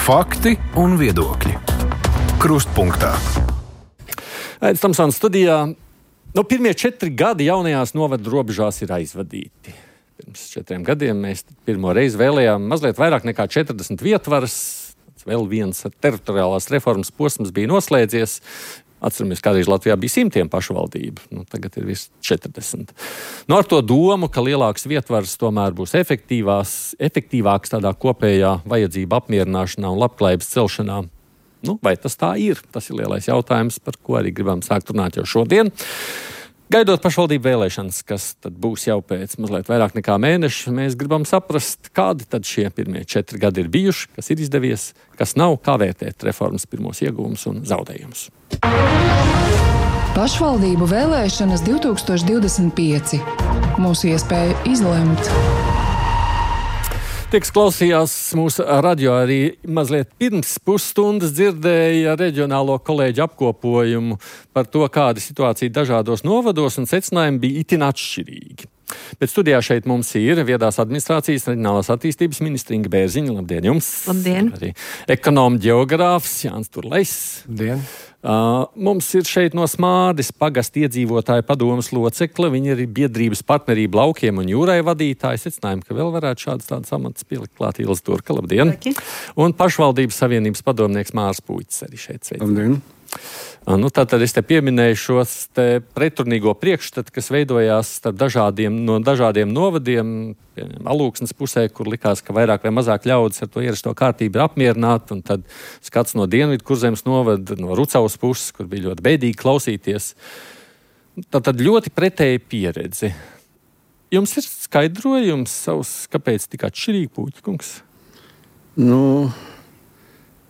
Fakti un viedokļi. Krustpunktā. Aidis Tomsons studijā. Pirmie 4 gadi jaunajās novadu robežās ir aizvadīti. Pirms 4 gadiem mēs pirmo reizi vēlējām mazliet vairāk nekā 40 vietvaras. Vēl viens teritoriālās reformas posms bija noslēdzies. Atceramies, kādreiz Latvijā bija 100 pašvaldību. Tagad ir virs 40. Ar to domu, ka lielāks vietvars tomēr būs efektīvāks tādā kopējā vajadzību apmierināšanā un labklājības celšanā. Vai tas tā ir? Tas ir lielais jautājums, par ko arī gribam sākt runāt jau šodien. Gaidot pašvaldību vēlēšanas, kas tad būs jau pēc mazliet vairāk nekā mēneša, mēs gribam saprast, kādi tad šie pirmie 4 gadi ir bijuši, kas ir izdevies, kas nav, kā vērtēt reformas pirmos iegūmus un zaudējumus. Pašvaldību vēlēšanas 2025. Mūsu iespēja izlemt. Tie, kas klausījās mūsu radio arī mazliet pirms pusstundas, dzirdēja reģionālo kolēģu apkopojumu par to, kāda situācija dažādos novados, un secinājumi bija itin atšķirīgi. Bet studijā šeit mums ir viedās administrācijas reģionālās attīstības ministra Inga Bērziņa. Labdien jums! Labdien! Arī ekonoma ģeogrāfs Jānis Turlejs. Labdien! Mums ir šeit no Smārdes pagasta iedzīvotāju padomes locekle. Viņa ir biedrības partnerība laukiem un jūrai vadītāja. Secinājumi, ka vēl varētu šādas amatas pielikt klāt. Ilza Turka, labdien! Laki. Un pašvaldības savienības padomnieks Mārs Puicis arī šeit sveic. Labdien! Tātad es te pieminēju šos pretrunīgo priekšstatu, kas veidojās no dažādiem novadiem, Alūksnes pusē, kur likās, ka vairāk vai mazāk ļaudis ar to ierasto kārtību ir apmierināti, un tad skats no Dienvidu Kurzemes novada, no Rucavas puses, kur bija ļoti bēdīgi klausīties. Tātad ļoti pretēja pieredze. Jums ir skaidrojums savs, kāpēc tik atšķirīgi, Puķa kungs?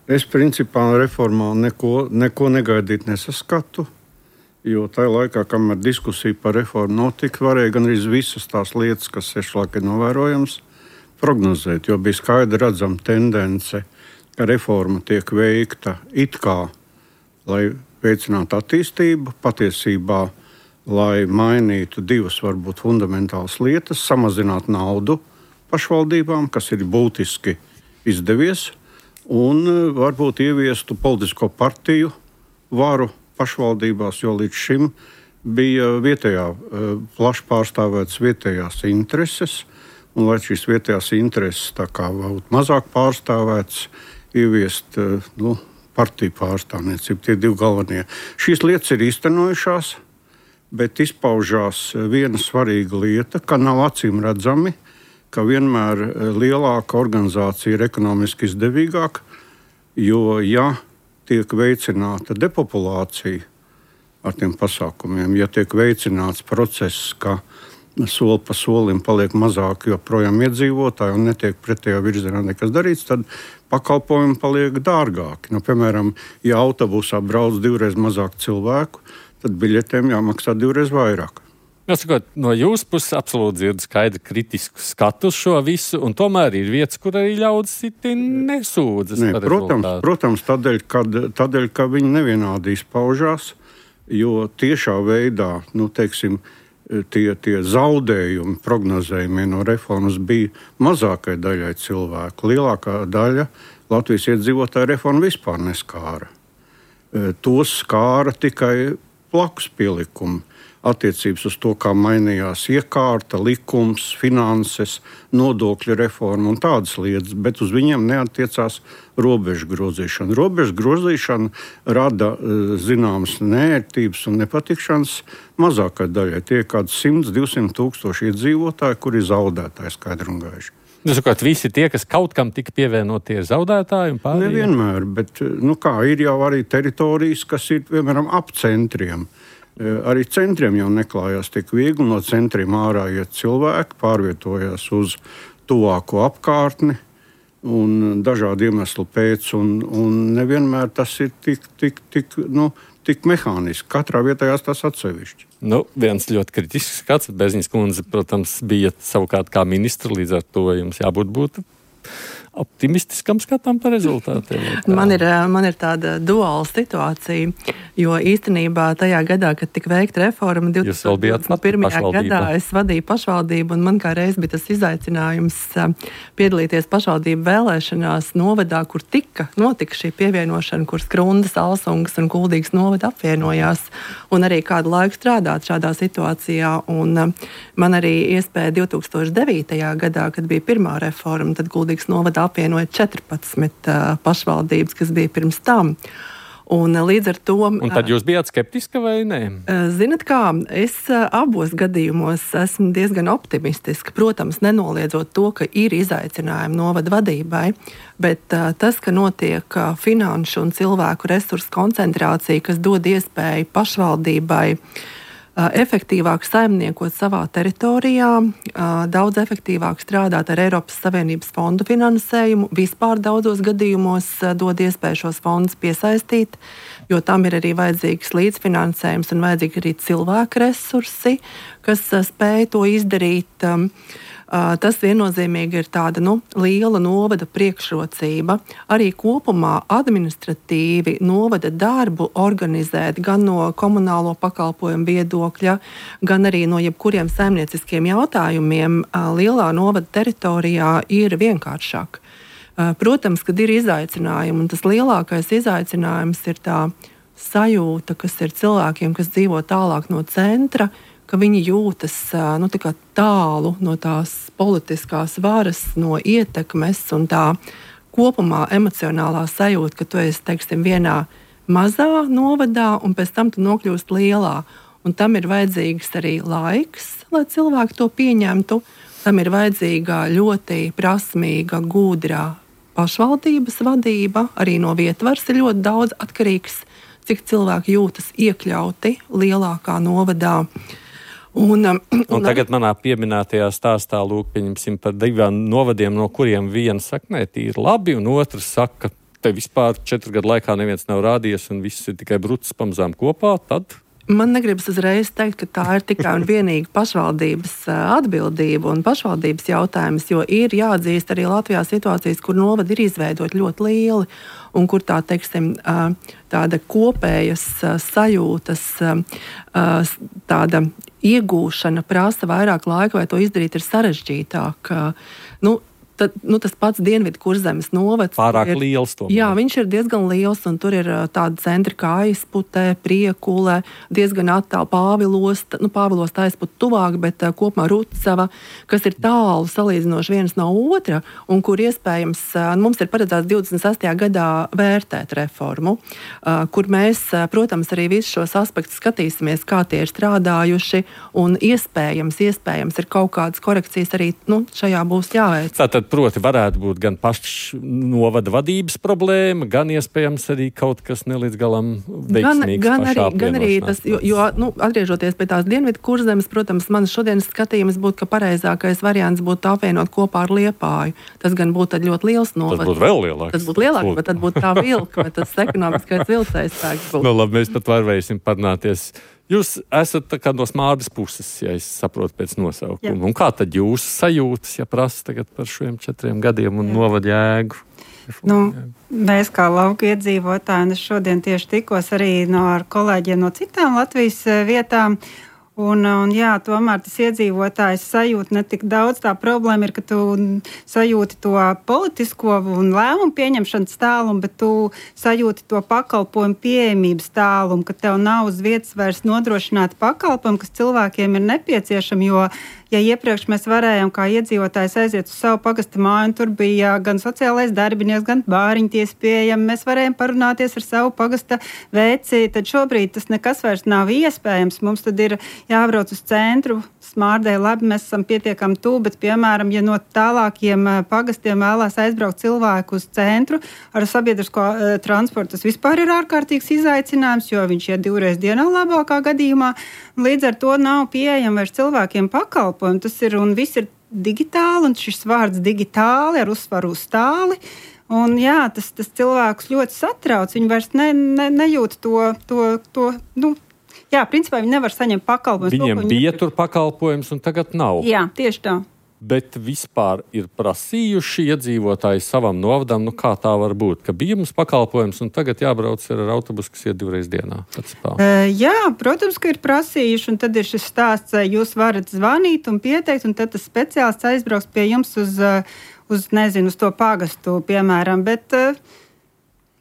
Es principā reformā neko negaidīt nesaskatu, jo tajā laikā, kamēr diskusija par reformu notika, varēja gan arī visas tās lietas, kas šlaik ir novērojams, prognozēt, jo bija skaidri redzama tendence, ka reforma tiek veikta it kā, lai veicinātu attīstību, patiesībā, lai mainītu divas varbūt fundamentālas lietas, samazināt naudu pašvaldībām, kas ir būtiski izdevies, un varbūt ieviestu politisko partiju varu pašvaldībās, jo līdz šim bija plaši pārstāvētas vietējās intereses, un lai šīs vietējās intereses tā kā būtu mazāk pārstāvētas, ieviest partiju pārstāvniecību, tie 2 galvenie. Šīs lietas ir īstenojušās, bet izpaužās viena svarīga lieta, ka nav acīm redzami, ka vienmēr lielāka organizācija ir ekonomiski izdevīgāka, jo, ja tiek veicināta depopulācija ar tiem pasākumiem, ja tiek veicināts process, ka soli pa solim paliek mazāk joprojām iedzīvotāji un netiek pretējā virzienā nekas darīts, tad pakalpojumi paliek dārgāki. Piemēram, ja autobusā brauc 2 reizes mazāk cilvēku, tad biļetēm jāmaksā 2 reizes vairāk. Jāsakot, no jūsu puses absolūti dzirdu skaidru kritisku skatu uz šo visu, un tomēr ir vietas, kur arī ļaudis nesūdzas par rezultātu. Protams, tādēļ, ka viņi nevienādi izpaužās, jo tiešā veidā, tie zaudējumi prognozējumie no reformas bija mazākai daļai cilvēku. Lielākā daļa Latvijas iedzīvotāju reformu vispār neskāra. Tos skāra tikai blakus pielikumi. Attiecības uz to, kā mainījās iekārta, likums, finanses, nodokļu reforma un tādas lietas, bet uz viņiem neattiecās robežu grozīšana. Robežu grozīšana rada zināmas neērtības un nepatikšanas mazākai daļai. Tie ir kādi 100-200 tūkstoši iedzīvotāji, kuri ir zaudētāji skaidri un gaiši. Sakot, visi tie, kas kaut kam tika pievienotie, ir zaudētāji un pārējie? Nevienmēr, bet ir jau arī teritorijas, kas ir, piemēram, ap centriem. Arī centriem jau neklājās tik viegli, no centriem ārā iet cilvēki, pārvietojās uz tuvāko apkārtni un dažādu iemeslu pēc, un nevienmēr tas ir tik mehāniski. Katrā vietā tas atsevišķi. Viens ļoti kritisks skats, Bērziņas kundze, protams, bija savukārt kā ministra, līdz ar to jums jābūt optimistiskam skatām par rezultātiem? Man ir tāda duāla situācija, jo īstenībā tajā gadā, kad tika veikta reforma, 2021. gadā es vadīju pašvaldību, un man kā reiz bija tas izaicinājums piedalīties pašvaldību vēlēšanās novadā, kur notika šī pievienošana, kur Skrundas, Alsungas un Kuldīgas novada apvienojās, un arī kādu laiku strādāt šādā situācijā. Un man arī iespēja 2009. gadā, kad bija pirmā reforma, tad Kuldīgas novada apvienoja 14 pašvaldības, kas bija pirms tam. Un līdz ar to... Un tad jūs bijāt skeptiska vai nē? Zinat kā, es abos gadījumos esmu diezgan optimistiska. Protams, nenoliedzot to, ka ir izaicinājumi novada vadībai, bet tas, ka notiek finanšu un cilvēku resursu koncentrācija, kas dod iespēju pašvaldībai efektīvāk saimniekot savā teritorijā, daudz efektīvāk strādāt ar Eiropas Savienības fondu finansējumu, vispār daudzos gadījumos dod iespēju šos fondus piesaistīt, jo tam ir arī vajadzīgs līdzfinansējums un vajadzīgi arī cilvēku resursi, kas spēj to izdarīt. Tas viennozīmīgi ir tāda liela novada priekšrocība. Arī kopumā administratīvi novada darbu organizēt gan no komunālo pakalpojumu viedokļa, gan arī no jebkuriem saimnieciskiem jautājumiem lielā novada teritorijā ir vienkāršāk. Protams, kad ir izaicinājumi, un tas lielākais izaicinājums ir tā sajūta, kas ir cilvēkiem, kas dzīvo tālāk no centra, ka viņi jūtas tālu no tās politiskās varas, no ietekmes un tā kopumā emocionālā sajūta, ka tu esi, teiksim, vienā mazā novadā un pēc tam tu nokļūst lielā. Un tam ir vajadzīgs arī laiks, lai cilvēki to pieņemtu. Tam ir vajadzīga ļoti prasmīga, gudrā pašvaldības vadība. Arī no vietvaras ir ļoti daudz atkarīgs, cik cilvēki jūtas iekļauti lielākā novadā. Un tagad manā pieminētajā stāstā pieņemsim par 2 novadiem, no kuriem viena saka, nē, tīri labi, un otrs saka, te vispār 4 gadu laikā neviens nav rādījies, un viss ir tikai brucis pamazām kopā, tad... Man negribas uzreiz teikt, ka tā ir tikai un vienīgi pašvaldības atbildība un pašvaldības jautājums, jo ir jāatzīst arī Latvijā situācijas, kur novadi ir izveidot ļoti lieli un kur tā, teiksim, tāda kopējas sajūtas, tāda iegūšana prasa vairāk laika, vai to izdarīt ir sarežģītāk. Tas pats Dienvidu Kurzemes novads. Pārāk liels tomēr. Jā, viņš ir diezgan liels, un tur ir tādi centri kā Aizputē, Priekule, diezgan attāli Pāvilosta, Pāvilosta Aizpute tuvāk, bet kopumā Rucava, kas ir tālu salīdzinoši viens no otra, un kur iespējams mums ir paredzēts 26. gadā vērtēt reformu, kur mēs, protams, arī visus šos aspektus skatīsimies, kā tie ir strādājuši, un iespējams ir kaut kādas korekcijas arī šajā būs jāveic. Tātad, proti, varētu būt gan pašs novada vadības problēma, gan iespējams arī kaut kas nelīdz galam veiksmīgs pašā apvienošanās. Gan arī tas, jo atgriežoties pie tās Dienvidu Kurzemes, protams, manas šodienas skatījums būtu, ka pareizākais variants būtu apvienot kopā ar Liepāju. Tas gan būtu tad ļoti liels novads. Tas būtu vēl lielāks. Tas būtu lielāks, bet tad būtu tā vilka, bet tas ekonomiskais vilcējs spēks būtu. Labi, mēs pat varēsim parunāties. Jūs esat tā kā no Smārdas puses, ja es saprotu pēc nosaukuma. Jā. Un kā tad jūs sajūtas, ja prasa tagad par šiem 4 gadiem un novada jēgu? Mēs kā lauku iedzīvotāji, un es šodien tieši tikos arī ar kolēģiem no citām Latvijas vietām, un jā, tomēr tas iedzīvotājs sajūt ne tik daudz. Tā problēma ir, ka tu sajūti to politisko un lēmumu pieņemšanas tālumu, bet tu sajūti to pakalpojumu pieejamības tālumu, ka tev nav uz vietas vairs nodrošināt pakalpojumu, kas cilvēkiem ir nepieciešami, jo ja iepriekš mēs varējām kā iedzīvotājs aiziet uz savu pagasta māju, un tur bija gan sociālais darbinieks, gan bāriņties pieejami, mēs varējām parunāties ar savu pagasta veci, tad šobrīd tas nekas vairs nav iespējams. Mums tad ir jābrauc uz centru, Smārdai labi, mēs esam pietiekami tuvu, bet, piemēram, ja no tālākiem pagastiem vēlās aizbraukt cilvēku uz centru ar sabiedrisko transportu, tas vispār ir ārkārtīgs izaicinājums, jo viņš iet 2 reizes dienā labākā gadījumā. Līdz ar to nav pieejama vairs cilvēkiem pakalpojumi. Tas ir un viss ir digitāli, un šis vārds digitāli ar uzsvaru uz tāli. Un jā, tas cilvēkus ļoti satrauc. Viņi vairs nejūt to jā, principā viņi nevar saņemt pakalpojumus. Viņiem bija tur pakalpojums, un tagad nav. Jā, tieši tā. Bet vispār ir prasījuši iedzīvotāji savam novadam, kā tā var būt, ka bija mums pakalpojums un tagad jābrauc ar autobusu, kas iet 2 reizes dienā. Jā, protams, ka ir prasījuši, un tad ir šis stāsts, jūs varat zvanīt un pieteikt, un tad tas speciālists aizbrauks pie jums uz to pagastu, piemēram, bet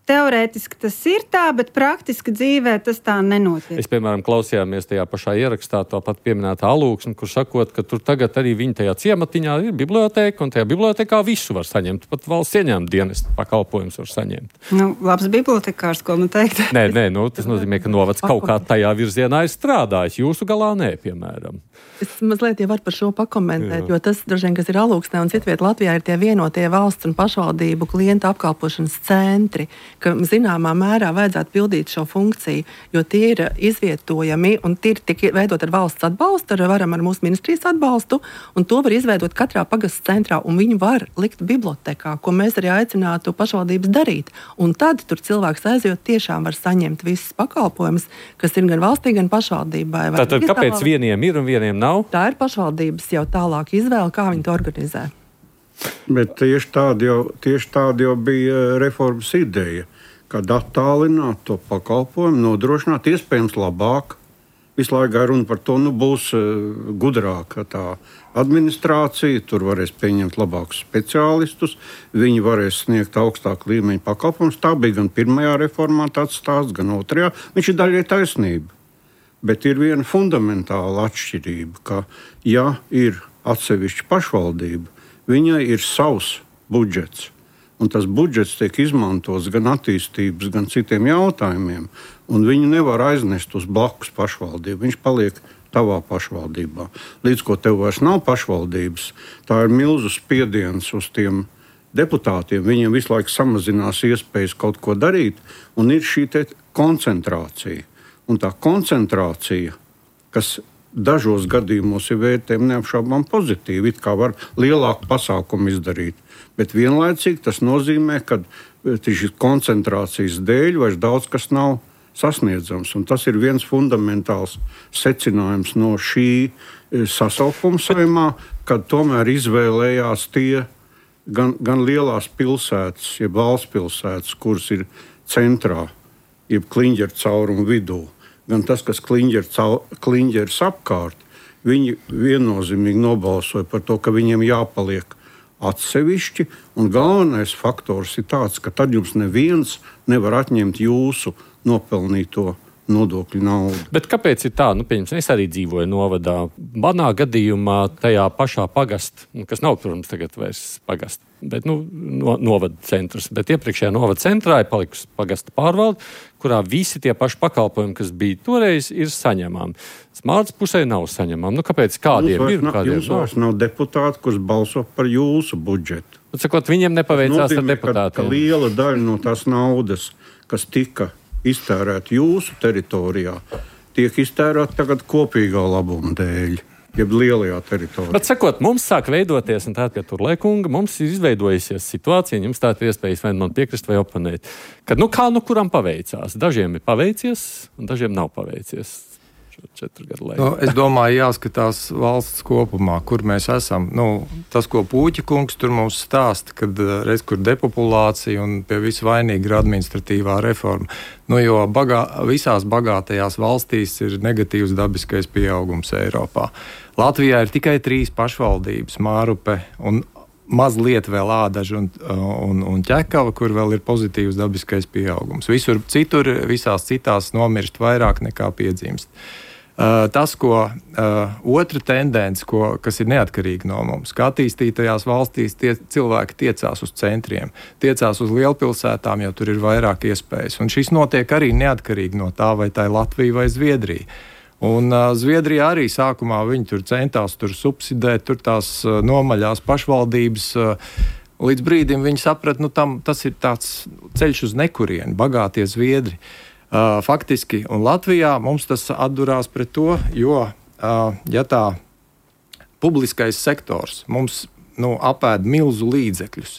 teorētiski tas ir tā, bet praktiski dzīvē tas tā nenotiek. Es, piemēram, klausījāmies tajā pašā ierakstā to pat pieminētā Alūksni, kur sakot, ka tur tagad arī viņa tajā ciematiņā ir biblioteka, un tajā bibliotekā visu var saņemt. Pat valsts ieņēmuma dienesta pakalpojums var saņemt. Labs bibliotekārs, ko man teikt. Nē, tas nozīmē, ka novads kaut kā tajā virzienā ir strādājis. Jūsu galā nē, piemēram. Es mazliet jau varu par šo pakomentēt, jo tas, droši vien, kas ir Alūksnē un citviet Latvijā, ir tie vienotie valsts un pašvaldību klientu apkalpošanas centri, ka zināmā mērā vajadzētu pildīt šo funkciju, jo tie ir izvietojami un tie ir tik veidot ar valsts atbalstu, ar mūsu ministrijas atbalstu, un to var izveidot katrā pagasts centrā, un viņu var likt bibliotekā, ko mēs arī aicinātu pašvaldības darīt. Un tad tur cilvēks aizjot tiešām var saņemt visas pakalpojumus, kas ir gan valstī, gan pašvaldībai. Tātad kāpēc vieniem ir un vieniem nav? Tā ir pašvaldības jau tālāk izvēle, kā viņi to organizē. Bet tieši tāda jau bija reformas ideja, kad attālināt to pakalpojumu, nodrošināt iespējams labāk. Visu laiku runa par to, būs gudrāka tā administrācija, tur varēs pieņemt labākus speciālistus, viņi varēs sniegt augstāku līmeņu pakalpojumus. Tā bija gan pirmajā reformā tāds stāsts, gan otrajā. Viņš ir daļai taisnība. Bet ir viena fundamentāla atšķirība, ka, ja ir atsevišķa pašvaldība, viņai ir savs budžets, un tas budžets tiek izmantots gan attīstības, gan citiem jautājumiem, un viņu nevar aiznest uz blakus pašvaldību. Viņš paliek tavā pašvaldībā. Līdz ko tev vairs nav pašvaldības, tā ir milzu spiediens uz tiem deputātiem. Viņiem visu laiku samazinās iespējas kaut ko darīt, un ir šī koncentrācija. Un tā koncentrācija, kas dažos gadījumos ir vērtējama neapšaubām pozitīvi, it kā var lielāku pasākumu izdarīt. Bet vienlaicīgi tas nozīmē, ka šīs koncentrācijas dēļ vairs daudz kas nav sasniedzams. Un tas ir viens fundamentāls secinājums no šī sasaukuma Saeimā, kad tomēr izvēlējās tie gan lielās pilsētas, jeb valsts pilsētas, kuras ir centrā, jeb kliņģeru caurumu vidū. Gan tas, kas kliņģeris apkārt, viņi viennozīmīgi nobalsoja par to, ka viņiem jāpaliek atsevišķi. Un galvenais faktors ir tāds, ka tad jums neviens nevar atņemt jūsu nopelnīto nodokļu naudu. Bet kāpēc ir tā? Es arī dzīvoju novadā. Manā gadījumā tajā pašā pagastā, kas nav, protams, tagad vairs pagasta, bet novada centrs. Bet iepriekšējā novada centrā ir palikusi pagasta pārvalde, kurā visi tie paši pakalpojumi, kas bija toreiz, ir saņemami. Smārdas pusē nav saņemami. Kāpēc kādiem ir? Jums vairs nav deputāti, kurš balso par jūsu budžetu. Viņiem nepaveicās ar deputātiem. Ka liela daļa no tās naudas, kas tika iztērēta jūsu teritorijā, tiek iztērēta tagad kopīgā labuma dēļ. Jeb lielajā teritorijā. Bet sakot, mums sāk veidoties, un tā, ka tur Leikunga, mums ir izveidojusies situācija, jums tā ir iespējas vai man piekrist vai oponēt, kad kuram paveicās. Dažiem ir paveicies, un dažiem nav paveicies. 4 gadu laikā. Es domāju, jāskatās valsts kopumā, kur mēs esam. Tas, ko Pūķa kungs tur mums stāsta, kad reiz kur depopulācija un pie visu vainīga ir administratīvā reforma. Jo visās bagātajās valstīs ir negatīvs dabiskais pieaugums Eiropā. Latvijā ir tikai 3 pašvaldības, Mārupe un mazliet vēl Ādaža un Ķekava, kur vēl ir pozitīvs dabiskais pieaugums. Visur citur, visās citās nomirst vairāk nekā piedzimst. Tas, otra tendence, kas ir neatkarīga no mums, ka attīstītajās valstīs cilvēki tiecās uz centriem, tiecās uz lielpilsētām, jo tur ir vairāk iespējas. Un šis notiek arī neatkarīgi no tā, vai tā ir Latvija vai Zviedrija. Un Zviedrijā arī sākumā viņi tur centās subsidēt, tur tās nomaļās pašvaldības. Līdz brīdim viņi saprata, tas ir tāds ceļš uz nekurieni, bagātie Zviedri. Faktiski, un Latvijā mums tas atdurās pret to, jo, ja tā publiskais sektors mums apēd milzu līdzekļus,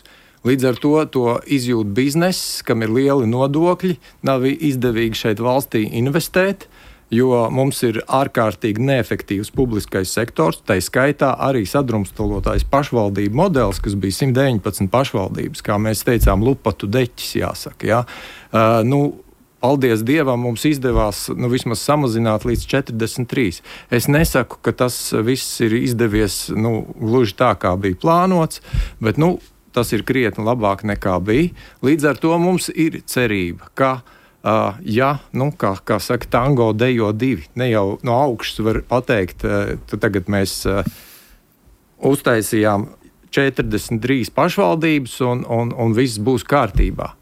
līdz ar to izjūt bizness, kam ir lieli nodokļi, nav izdevīgi šeit valstī investēt, jo mums ir ārkārtīgi neefektīvs publiskais sektors, tai skaitā arī sadrumstalotais pašvaldību modelis, kas bija 119 pašvaldības, kā mēs teicām, lupatu deķis jāsaka. Ja? Paldies Dievam, mums izdevās vismaz samazināt līdz 43. Es nesaku, ka tas viss ir izdevies gluži tā, kā bija plānots, bet tas ir krietni labāk nekā bija. Līdz ar to mums ir cerība, ka, kā saka, tango dejo divi. Ne jau no augšas var pateikt, tagad mēs uztaisījām 43 pašvaldības un viss būs kārtībā.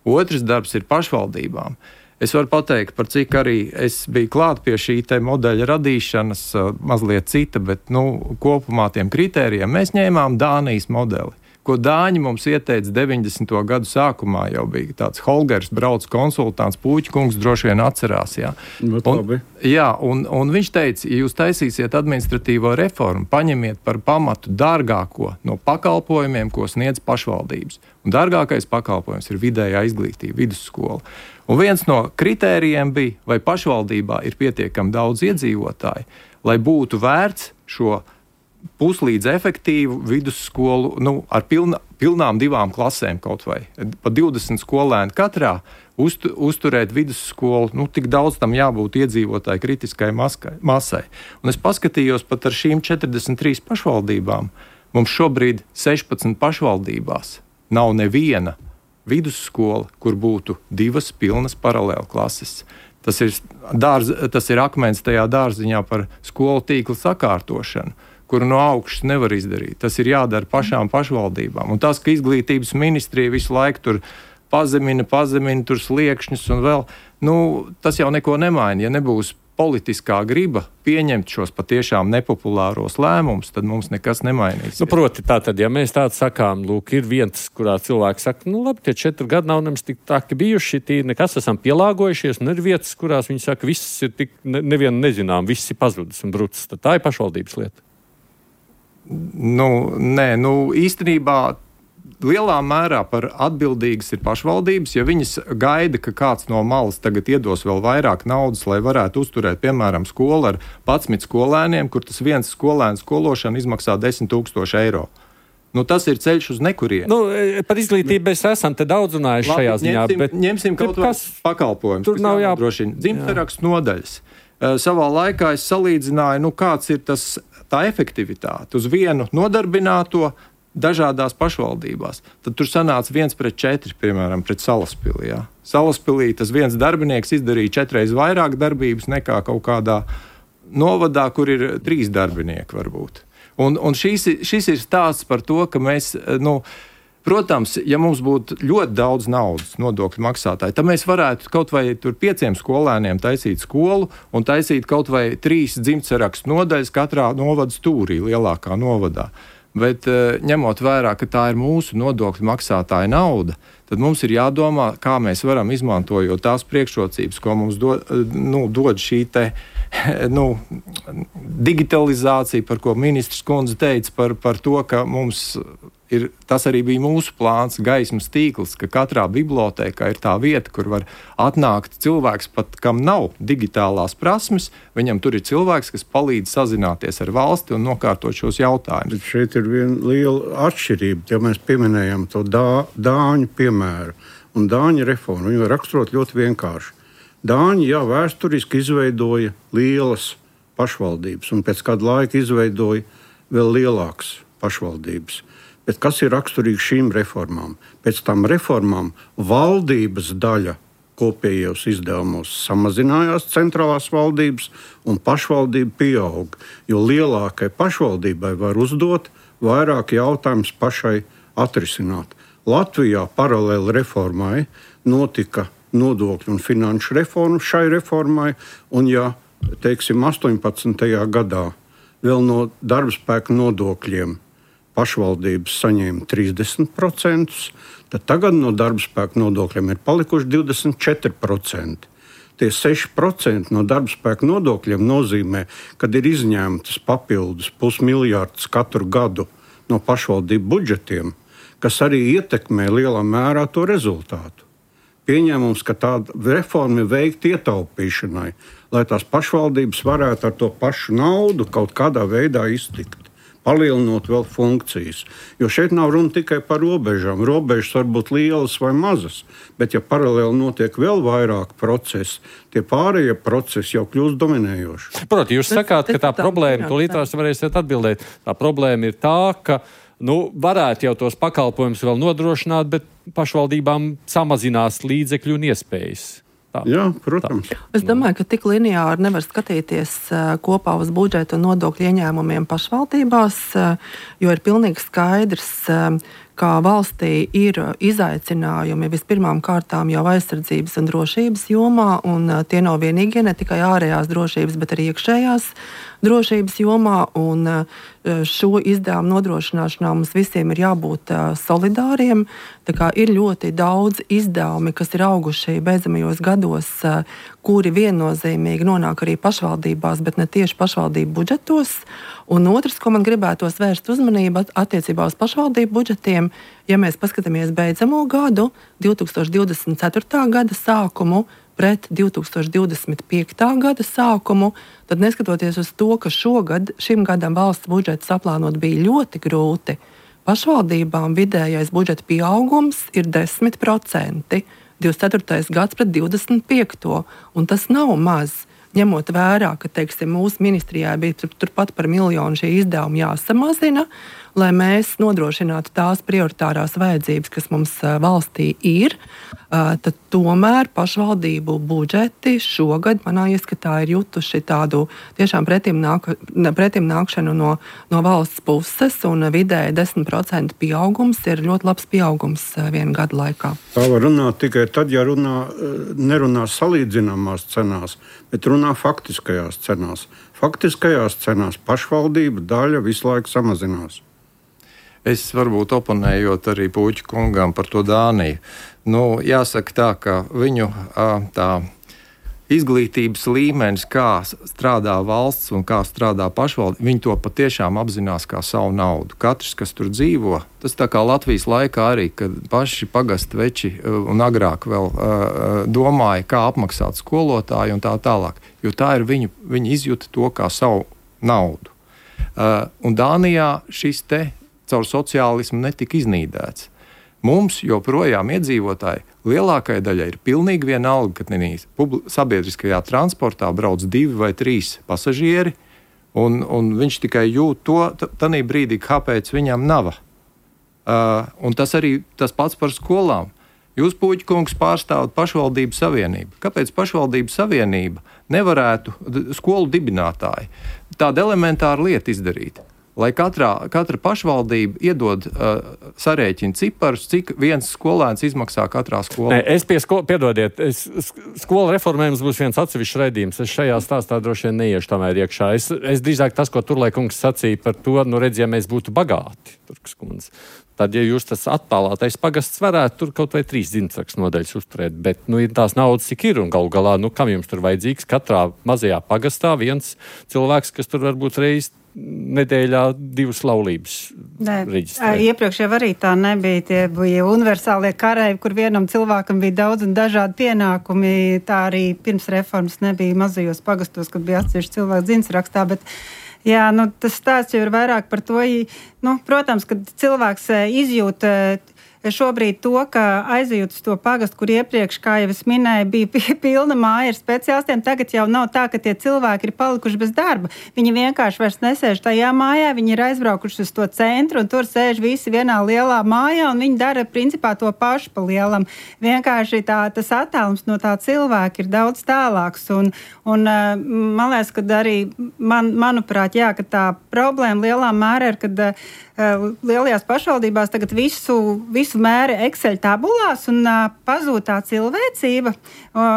Otrs darbs ir pašvaldībām. Es varu pateikt, par cik arī es biju klāt pie šī te modeļa radīšanas, mazliet cita, bet kopumā tiem kritērijiem mēs ņēmām Dānijas modeli, ko Dāņi mums ieteica 90. gadu sākumā. Jau bija tāds Holgers brauc konsultants, Pūķkungs droši vien atcerās. Jā, un viņš teica, ja jūs taisīsiet administratīvo reformu, paņemiet par pamatu dārgāko no pakalpojumiem, ko sniedz pašvaldības. Un dārgākais pakalpojums ir vidējā izglītība, vidusskola. Un viens no kritērijiem bija, vai pašvaldībā ir pietiekami daudz iedzīvotāji, lai būtu vērts šo puslīdz efektīvu vidusskolu ar pilnām 2 klasēm kaut vai. Pa 20 skolēni katrā uzturēt vidusskolu, tik daudz tam jābūt iedzīvotāju kritiskai masai. Un es paskatījos pat ar šīm 43 pašvaldībām. Mums šobrīd 16 pašvaldībās nav neviena vidusskola, kur būtu 2 pilnas paralēli klases. Tas ir akmens tajā dārziņā par skolu tīkla sakārtošanu, kuru no augšas nevar izdarīt. Tas ir jādara pašām pašvaldībām. Un tas, ka izglītības ministrija visu laiku tur pazemina tur sliekšņus un vēl, tas jau neko nemaina. Ja nebūs politiskā griba pieņemt šos patiešām nepopulāros lēmumus, tad mums nekas nemainīs. Proti tātad, ja mēs tādu sakām, ir viens, kurā cilvēks saka, labi, tie 4 gadi nav nemaz tik tāki bijuši, nekas esam pielāgojušies, un ir vietas, kurās viņi saka, viss ir tik nevienu nezinām, viss ir pazudis un brucis. Tad tā ir pašvaldības lieta. Īstenībā lielā mērā par atbildīgas ir pašvaldības, ja viņas gaida, ka kāds no malas tagad iedos vēl vairāk naudas, lai varētu uzturēt, piemēram, skolu ar 11 skolēniem, kur tas viens skolēns skološana izmaksā 10 000 eiro. Tas ir ceļš uz nekurieni. Par izglītību mēs esam te daudz runājuši šajā ziņā. Ņemsim kaut vai pakalpojumus, kas jānodrošina. Dzimterakstu nodaļas. Savā laikā es salīdzināju, kāds ir tā efektivitāte uz vienu nodarbināto dažādās pašvaldībās. Tad tur sanāca 1:4, piemēram, pret Salaspilī. Jā. Salaspilī tas viens darbinieks izdarīja 4 reizes vairāk darbības nekā kaut kādā novadā, kur ir 3 darbinieki varbūt. Un šis ir stāsts par to, ka mēs, protams, ja mums būtu ļoti daudz naudas nodokļu maksātāji, tad mēs varētu kaut vai tur 5 skolēniem taisīt skolu un taisīt kaut vai 3 dzimtsarakstu nodaļas katrā novada stūrī, lielākā novadā. Bet ņemot vērā, ka tā ir mūsu nodokļu maksātāja nauda, tad mums ir jādomā, kā mēs varam izmantojot tās priekšrocības, ko mums dod šī te digitalizācija, par ko ministrs kundze teica, par to, ka mums ir, tas arī bija mūsu plāns, gaismas tīkls, ka katrā bibliotēkā ir tā vieta, kur var atnākt cilvēks, pat kam nav digitālās prasmes, viņam tur ir cilvēks, kas palīdz sazināties ar valsti un nokārtot šos jautājumus. Bet šeit ir viena liela atšķirība, ja mēs pieminējam to Dāņu piemēru un Dāņu reformu. Viņi var raksturot ļoti vienkārši. Dāņi jau vēsturiski izveidoja lielas pašvaldības un pēc kāda laika izveidoja vēl lielākas pašvaldības. Bet kas ir raksturīgi šīm reformām? Pēc tam reformām valdības daļa kopējos izdevumos samazinājās, centrālās valdības, un pašvaldība pieaug. Jo lielākai pašvaldībai var uzdot vairāk jautājumus pašai atrisināt. Latvijā paralēli reformai notika nodokļu un finanšu reforma šai reformai, un ja, teiksim, 18. gadā vēl no darbspēka nodokļiem pašvaldības saņēma 30%, tad tagad no darbspēka nodokļiem ir palikuši 24%. Tie 6% no darbspēka nodokļiem nozīmē, kad ir izņemtas papildus 500 miljardus katru gadu no pašvaldību budžetiem, kas arī ietekmē lielā mērā to rezultātu. pieņēmums, ka tāda reforma ir veikta ietaupīšanai, lai tās pašvaldības varētu ar to pašu naudu kaut kādā veidā iztikt, palielinot vēl funkcijas. Jo šeit nav runa tikai par robežām. Robežas var būt lielas vai mazas, bet ja paralēli notiek vēl vairāk procesu, tie pārējie procesi jau kļūst dominējoši. Proti, jūs sakāt, ka tā problēma, to līdz varēsiet atbildēt, tā problēma ir tā, ka varētu jau tos pakalpojumus vēl nodrošināt, bet pašvaldībām samazinās līdzekļu un iespējas. Jā, protams. Es domāju, ka tik lineāri nevar skatīties kopā uz budžetu un nodokļu ieņēmumiem pašvaldībās, jo ir pilnīgi skaidrs, ka valstī ir izaicinājumi vispirmām kārtām jau aizsardzības un drošības jomā, un tie nav vienīgie, ne tikai ārējās drošības, bet arī iekšējās drošības jomā, un šo izdevumu nodrošināšanā mums visiem ir jābūt solidāriem. Tā kā ir ļoti daudz izdevumi, kas ir auguši beidzamajos gados, kuri viennozīmīgi nonāk arī pašvaldībās, bet ne tieši pašvaldību budžetos. Un otrs, ko man gribētos vērst uzmanību attiecībā uz pašvaldību budžetiem, ja mēs paskatāmies beidzamo gadu, 2024. gada sākumu, pret 2025. gada sākumu, tad neskatoties uz to, ka šim gadam valsts budžets saplānot bija ļoti grūti, pašvaldībām vidējais budžeta pieaugums ir 10%, 24. gads pret 25. Un tas nav maz, ņemot vērā, ka, teiksim, mūsu ministrijā bija turpat par 1 miljonu šie izdevumi jāsamazina, lai mēs nodrošinātu tās prioritārās vajadzības, kas mums valstī ir, tad tomēr pašvaldību budžeti šogad manā ieskatā ir jutuši tādu tiešām pretim nākšanu no valsts puses, un vidēji 10% pieaugums ir ļoti labs pieaugums vienu gadu laikā. Tā var runāt tikai tad, ja nerunā salīdzināmās cenās, bet runā faktiskajās cenās. Faktiskajās cenās pašvaldība daļa visu laiku samazinās. Es varbūt oponējot arī Puķa kungam par to Dāniju. Jāsaka tā, ka viņu tā izglītības līmenis, kā strādā valsts un kā strādā pašvaldība, viņi to patiešām apzinās kā savu naudu. Katrs, kas tur dzīvo, tas tā kā Latvijas laikā arī, kad paši pagastu veči un agrāk vēl domāja, kā apmaksāt skolotāju un tā tālāk. Jo tā ir viņi izjūta to kā savu naudu. Un Dānijā šis te caur sociālismu netika iznīdēts. Mums joprojām iedzīvotāji lielākajai daļai ir pilnīgi vienalga, ka sabiedriskajā transportā brauc 2 vai 3 pasažieri, un viņš tikai jūt to tanī brīdī, kāpēc viņam nav. Un tas arī tas pats par skolām. Jūs, Puķa kungs, pārstāvat pašvaldību savienību. Kāpēc pašvaldību savienība nevarētu skolu dibinātāji tādu elementāru lietu izdarīt? Lai katra pašvaldība iedod sarēķina ciparus, cik viens skolēns izmaksā katrā skolā. Es piedodiet, skola reformē mums būs viens atsevišķs raidījums. Es šajā stāstā droši vien neiešu tomēr iekšā. Es drīzāk tas, ko Turlai kungs sacīja par to, ja mēs būtu bagāti, Turkas kundze, tad, ja jūs tas attālātais pagasts varētu tur kaut vai 3 dzimtsrakstu nodaļas uzturēt, bet ir tās naudas, cik ir, un galu galā, kam jums tur vajadzīgs? Katrā mazajā pagastā viens cilvēks, kas tur varbūt reiz nedēļā 2 laulības reģistrē. Iepriekš jau arī tā nebija. Tie bija universālie kareivi, kur vienam cilvēkam bija daudz un dažādi pienākumi. Tā arī pirms reformas nebija mazajos pagastos, kad bija atsevišķi cilvēki dzimtsrakstā, bet jā, tas stāsts jau ir vairāk par to. Protams, kad cilvēks izjūt šobrīd to, ka aizejot uz to pagastu, kur iepriekš, kā jau es minēju, bija pilna māja ar speciālistiem, tagad jau nav tā, ka tie cilvēki ir palikuši bez darba. Viņi vienkārši vairs nesēž tajā mājā, viņi ir aizbraukuši uz to centru, un tur sēž visi vienā lielā mājā, un viņi dara principā to pašu pa lielam. Vienkārši tas attēlums no tā cilvēka ir daudz tālāks, un man liekas, ka arī, manuprāt, jā, ka tā problēma lielā mērā ir, kad lielajās pašvaldībās tagad visu mēra Excel tabulās un pazūd tā cilvēcība.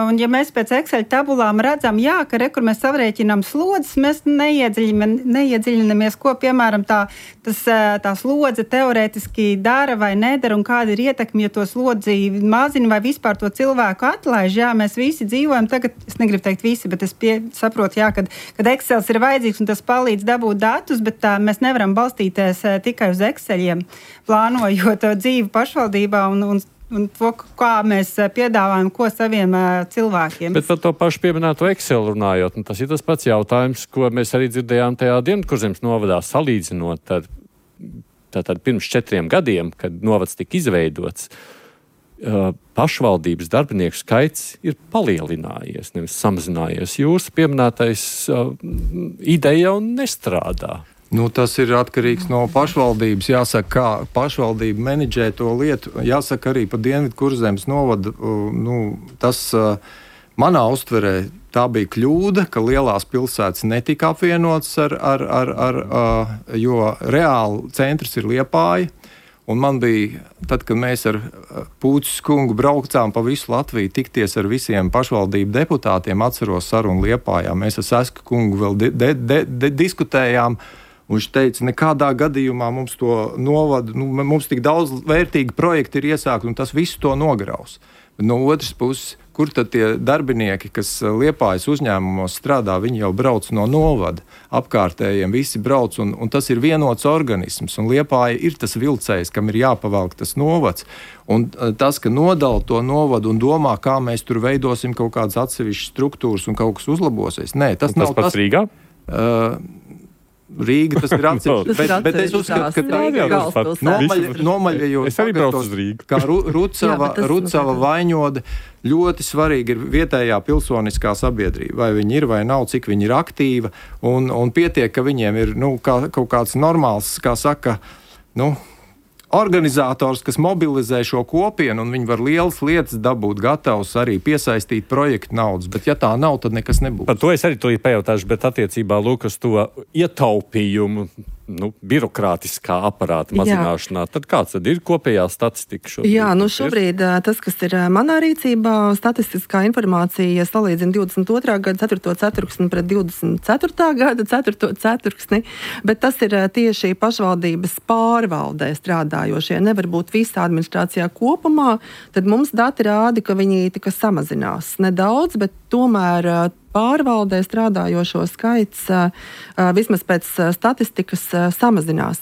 Un ja mēs pēc Excel tabulām redzam, ka kur mēs savrēķinām slodzes, mēs neiedziļinamies, ko, piemēram, tā slodze teorētiski dara vai nedara un kāda ir ietekme, ja to slodzi mazina vai vispār to cilvēku atlaiž. Jā, mēs visi dzīvojam tagad, es negribu teikt visi, bet es saprotu, kad Excels ir vajadzīgs un tas palīdz dabūt datus, bet mēs nevaram balstīties tikai uz Exceliem, plānojot dzīvi pašvaldībā un un to, kā mēs piedāvājam, ko saviem cilvēkiem. Bet par to pašu pieminēto Excel runājot, tas ir tas pats jautājums, ko mēs arī dzirdējām tajā Dienvidkurzemes novadā, salīdzinot ar tātad pirms 4 gadiem, kad novads tika izveidots. Pašvaldības darbinieku skaits ir palielinājies, nevis samazinājies. Jūsu pieminētais ideja jau nestrādā. Tas ir atkarīgs no pašvaldības. Jāsaka, kā pašvaldība menedžē to lietu. Jāsaka arī par Dienvidkurzemes novadu. Tas manā uztverē tā bija kļūda, ka lielās pilsētas netika apvienotas jo reāli centrs ir Liepāja. Un man bija, tad, kad mēs ar Pūces kungu braucām pa visu Latviju, tikties ar visiem pašvaldību deputātiem, atceros sarunu Liepājā. Mēs ar Sesku kungu vēl diskutējām. Un viņš teica, nekādā gadījumā mums to novadu, mums tik daudz vērtīgi projekti ir iesākti, un tas visu to nograus. Bet no otras puses, kur tad tie darbinieki, kas Liepājas uzņēmumos strādā, viņi jau brauc no novada, apkārtējiem visi brauc, un tas ir vienots organisms, un Liepāja ir tas vilcējs, kam ir jāpavalk tas novads. Un tas, ka nodala to novadu un domā, kā mēs tur veidosim kaut kādas atsevišķas struktūras un kaut kas uzlabosies. Nē, tas nav pats Rīgā? Rīga tas ir atsevišķi, bet es uzskatu, ka tā ir nomaļajot. Es arī braucu uz Rīgu. Kā Rucava Vaņode, ļoti svarīgi ir vietējā pilsoniskā sabiedrība. Vai viņi ir vai nav, cik viņi ir aktīva, un pietiek, ka viņiem ir kaut kāds normāls, kā saka, organizators, kas mobilizē šo kopienu, un viņi var lielas lietas dabūt gatavs arī piesaistīt projektu naudas, bet ja tā nav, tad nekas nebūs. Par to es arī to pajautāšu, bet attiecībā lūk uz to ietaupījumu, birokrātiskā aparāta mazināšanā, tad kāds tad ir kopējā statistika šobrīd? Jā, šobrīd tas, kas ir manā rīcībā, statistiskā informācija salīdzina 22. gada 4. ceturksni pret 24. gada 4. ceturksni, bet tas ir tieši pašvaldības pārvaldē strādājošie. Nevar būt visā administrācijā kopumā, tad mums dati rāda, ka viņi tika samazinās. Nedaudz, bet tomēr pārvaldē strādājošo skaits vismaz pēc statistikas samazinās.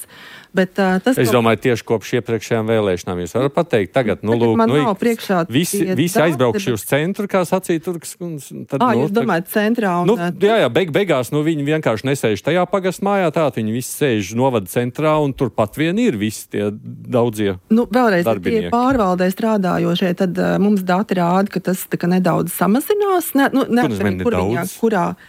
Bet, es domāju, tieši kopš iepriekšējām vēlēšanām jūs varat pateikt, tagad, visi aizbraukši uz centru, kā sacīja Turks. Jūs domājat centrā? Jā, beigās viņi vienkārši nesēž tajā pagastmājā, viņi visi sēž novada centrā, un turpat vien ir visi tie daudzie vēlreiz, darbinieki. Tie pārvaldē strādājošie, tad mums dati rāda, ka tas nedaudz samazinās. Kurā?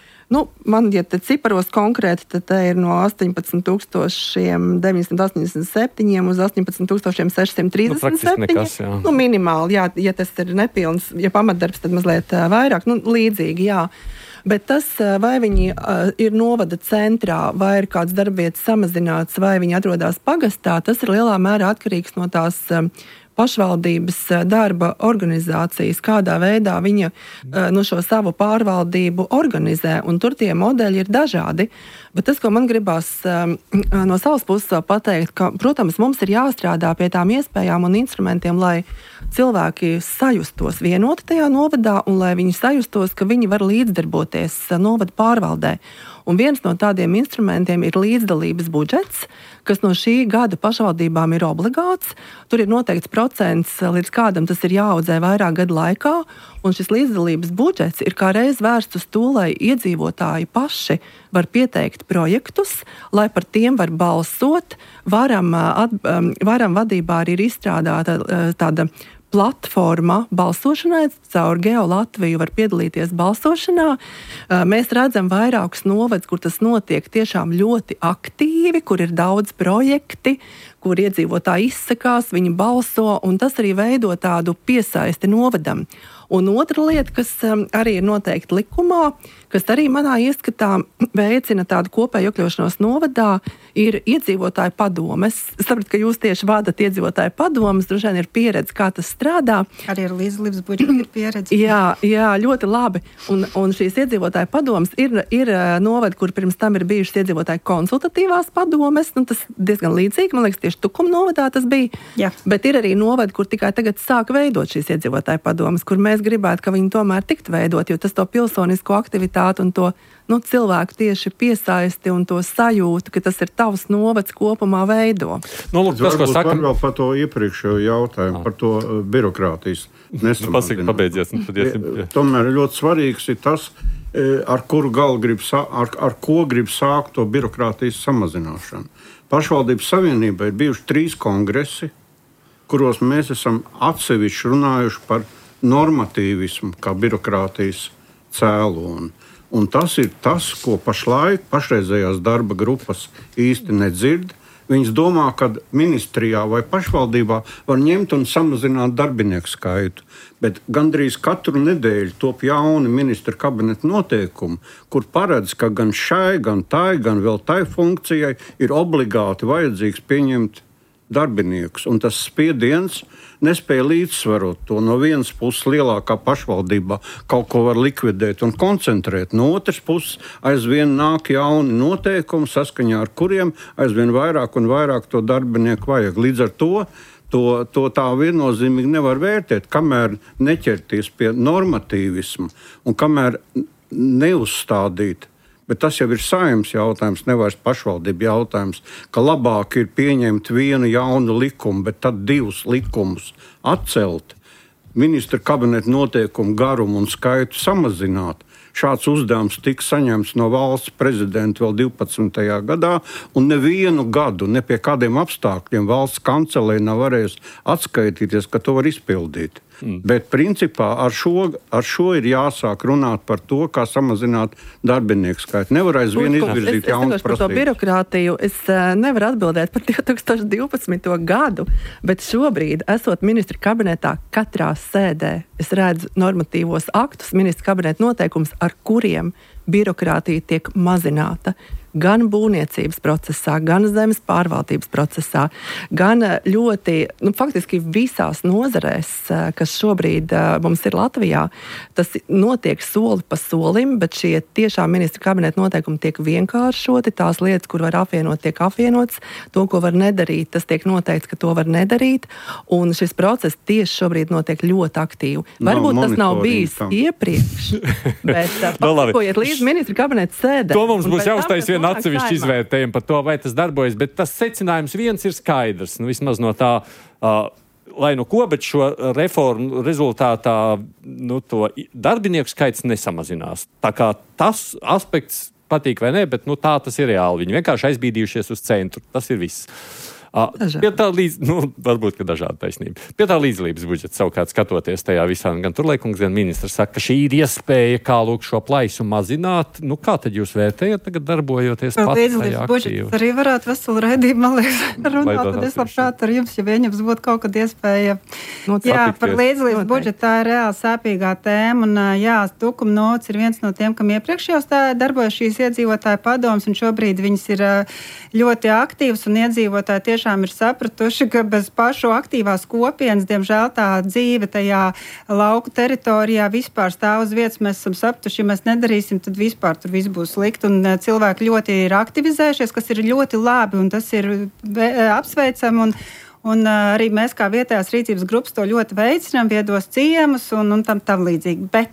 Man, ja te ciparos konkrēti, tad te ir no 18,987 uz 18,637. Nekas, Minimāli, jā, ja tas ir nepilns, ja pamatdarbs, tad mazliet vairāk, līdzīgi, jā. Bet tas, vai viņi ir novada centrā, vai ir kāds darbvietas samazināts, vai viņi atrodas pagastā, tas ir lielā mērā atkarīgs no tās pašvaldības darba organizācijas, kādā veidā viņa šo savu pārvaldību organizē, un tur tie modeļi ir dažādi. Bet tas, ko man gribās no savas puses pateikt, ka, protams, mums ir jāstrādā pie tām iespējām un instrumentiem, lai cilvēki sajustos vienoti tajā novadā un lai viņi sajustos, ka viņi var līdzdarboties novada pārvaldē. Un viens no tādiem instrumentiem ir līdzdalības budžets, kas no šī gada pašvaldībām ir obligāts. Tur ir noteikts procents, līdz kādam tas ir jāaudzē vairāk gadu laikā, un šis līdzdalības budžets ir kā reiz vērsts uz to, lai iedzīvotāji paši var pieteikt projektus, lai par tiem var balsot. Varam vadībā arī ir izstrādāta tāda platforma balsošanai, caur Geo Latviju var piedalīties balsošanā. Mēs redzam vairākus novadus, kur tas notiek tiešām ļoti aktīvi, kur ir daudz projekti, kur iedzīvotāji izsakās, viņi balso, un tas arī veido tādu piesaisti novadam. Un otra lieta, kas arī ir noteikti likumā, kas arī manā ieskatā veicina tādu kopēju iekļaušanos novadā, ir iedzīvotāju padomes. Es sapratu, ka jūs tieši vadat iedzīvotāju padomes, droši vien ir pieredze, kā tas strādā. Arī ar līdzdalības budžetu ir pieredze. Jā, ļoti labi. Un šīs iedzīvotāju padomes ir novadi, kur pirms tam ir bijušas iedzīvotāju konsultatīvās padomes. Tas diezgan līdzīgi, man liekas, tieši Tukuma novadā tas bija. Jā. Bet ir arī novadi, kur tikai tagad sāk veidot šīs iedzīvotāju padomes, kur mēs mēs gribētu, ka viņi tomēr tiktu veidot, jo tas to pilsonisko aktivitāti un to cilvēku tieši piesaisti un to sajūtu, ka tas ir tavs novads kopumā veido. Lūk, tas, ko saka... Vēl par to iepriekšējo jautājumu, par to birokrātijas nesamazināšanu. Pabeidzies. Tomēr ļoti svarīgs ir tas, ar ko grib sākt to birokrātijas samazināšanu. Pašvaldības savienībā ir bijuši 3 kongresi, kuros mēs esam atsevišķi runājuši par normatīvismu kā birokrātijas cēloni. Un tas ir tas, ko pašreizējās darba grupas īsti nedzird. Viņas domā, ka ministrijā vai pašvaldībā var ņemt un samazināt darbinieku skaitu. Bet gandrīz katru nedēļu top jauni ministra kabineta noteikumi, kur paredz, ka gan šai, gan tai, gan vēl tai funkcijai ir obligāti vajadzīgs pieņemt darbiniekus. Un tas spiediens nespēja līdzsvarot to. No vienas puses lielākā pašvaldībā kaut ko var likvidēt un koncentrēt. No otras puses aizvien nāk jauni noteikumi, saskaņā ar kuriem aizvien vairāk un vairāk to darbinieku vajag. Līdz ar to tā viennozīmīgi nevar vērtēt, kamēr neķerties pie normatīvismu un kamēr neuzstādīt. Bet tas jau ir Saeimas jautājums, nevis pašvaldību jautājums, ka labāk ir pieņemt vienu jaunu likumu, bet tad 2 likumus atcelt, ministra kabineta noteikumu garumu un skaitu samazināt. Šāds uzdevums tika saņemts no valsts prezidenta vēl 12. gadā, un nevienu gadu, ne pie kādiem apstākļiem valsts kancelē nav varējusi atskaitīties, ka to var izpildīt. Bet principā ar šo ir jāsāk runāt par to, kā samazināt darbinieku skaitu. Nevar aizvien izvirzīt jaunas prasības. Par to birokrātiju es nevaru atbildēt par 2012. gadu, bet šobrīd, esot ministra kabinetā, katrā sēdē es redzu normatīvos aktus, ministra kabineta noteikums, ar kuriem birokrātija tiek mazināta. Gan būvniecības procesā, gan zemes pārvaldības procesā, gan ļoti, faktiski visās nozarēs, kas šobrīd mums ir Latvijā, tas notiek soli pa solim, bet šie tiešām ministra kabineta noteikumi tiek vienkāršoti, tās lietas, kur var apvienot, tiek apvienots, to, ko var nedarīt, tas tiek noteikts, ka to var nedarīt, un šis process tieši šobrīd notiek ļoti aktīvi. Varbūt tas nav bijis iepriekš, bet pasakojiet līdz ministra kabineta sēdē. To mums būs jāuztais viena atsevišķi izvērtējumi par to, vai tas darbojas, bet tas secinājums viens ir skaidrs, vismaz no tā, lai nu ko, bet šo reformu rezultātā to darbinieku skaits nesamazinās. Tā kā tas aspekts patīk vai ne, bet tā tas ir reāli. Viņi vienkārši aizbīdījušies uz centru. Tas ir viss. Pie tā varbūt, ka dažāda taisnība. Pie tā līdzdalības budžeta savukārt skatoties tajā visā, gan Turlaikungs, gan ministrs saka, ka šī ir iespēja, kā šo plaisu mazināt. Kā tad jūs vērtējat tagad darbojoties pat tajā aktīvi? Budžets arī varētu veselu raidību, man liekas, runāt, tad es labprāt ar jums, ja viņams būtu kaut kad iespēja. Par līdzdalības budžetu tā ir reāli sāpīgā tēma, un Tukuma nots ir viens no tiem, kam iepriekšējos darbojas šīs iedzīvotāju padomas, un šobrīd viņas ir ļoti aktīvas, un iedzīvotāji tiešām ir sapratuši, ka bez pašu aktīvās kopienas, diemžēl tā dzīve tajā lauku teritorijā vispār stāv uz vietas. Mēs esam sapratuši, ja mēs nedarīsim, tad vispār tur viss būs slikti. Un cilvēki ļoti ir aktivizējušies, kas ir ļoti labi, un tas ir apsveicami. Un arī mēs kā vietējās rīcības grupas to ļoti veicinām, viedos ciemus un tam līdzīgi. Bet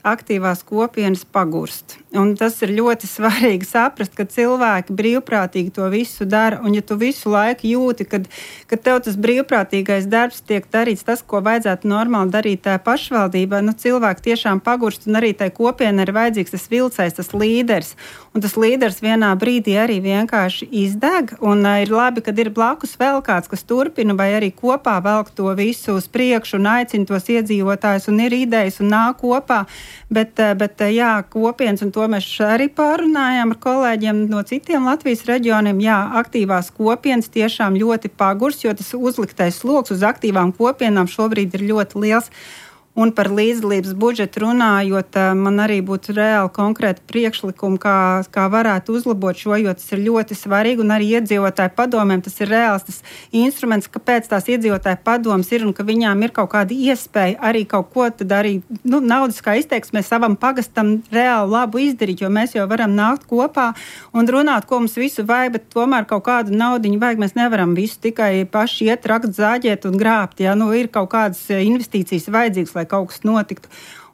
aktīvās kopienas pagurst. Un tas ir ļoti svarīgi saprast, ka cilvēki brīvprātīgi to visu dara, un ja tu visu laiku jūti, ka tev tas brīvprātīgais darbs tiek darīts tas, ko vajadzētu normāli darīt tā pašvaldībā, cilvēki tiešām pagurst, un arī tai kopienai ir vajadzīgs tas vilcējs, tas līderis. Un tas līderis vienā brīdī arī vienkārši izdeg, un ir labi, kad ir blakus vēl kāds, kas turpina, vai arī kopā velk to visu uz priekšu un aicina tos iedzīvotājus, un ir idejas un nāk kopā, bet kopienas, un to mēs arī pārunājām ar kolēģiem no citiem Latvijas reģioniem, aktīvās kopienas tiešām ļoti pagurs, jo tas uzliktais sloks uz aktīvām kopienām šobrīd ir ļoti liels. Un par līdzdalības budžetu runājot, man arī būtu reāli konkrēti priekšlikumi, kā varētu uzlabot šo, jo tas ir ļoti svarīgi, un arī iedzīvotāju padomēm tas ir reāls tas instruments, kāpēc tās iedzīvotāju padomas ir, un ka viņām ir kaut kāda iespēja arī kaut ko tad arī, naudiskā izteiksmē savam pagastam reāli labu izdarīt, jo mēs jau varam nākt kopā un runāt, ko mums visu vajag, bet tomēr kaut kādu naudiņu vajag, mēs nevaram visu tikai paši iet, rakt, zāģēt un grābt, ir kaut kādas investīcijas vajadzīgas, vai kaut kas notiktu.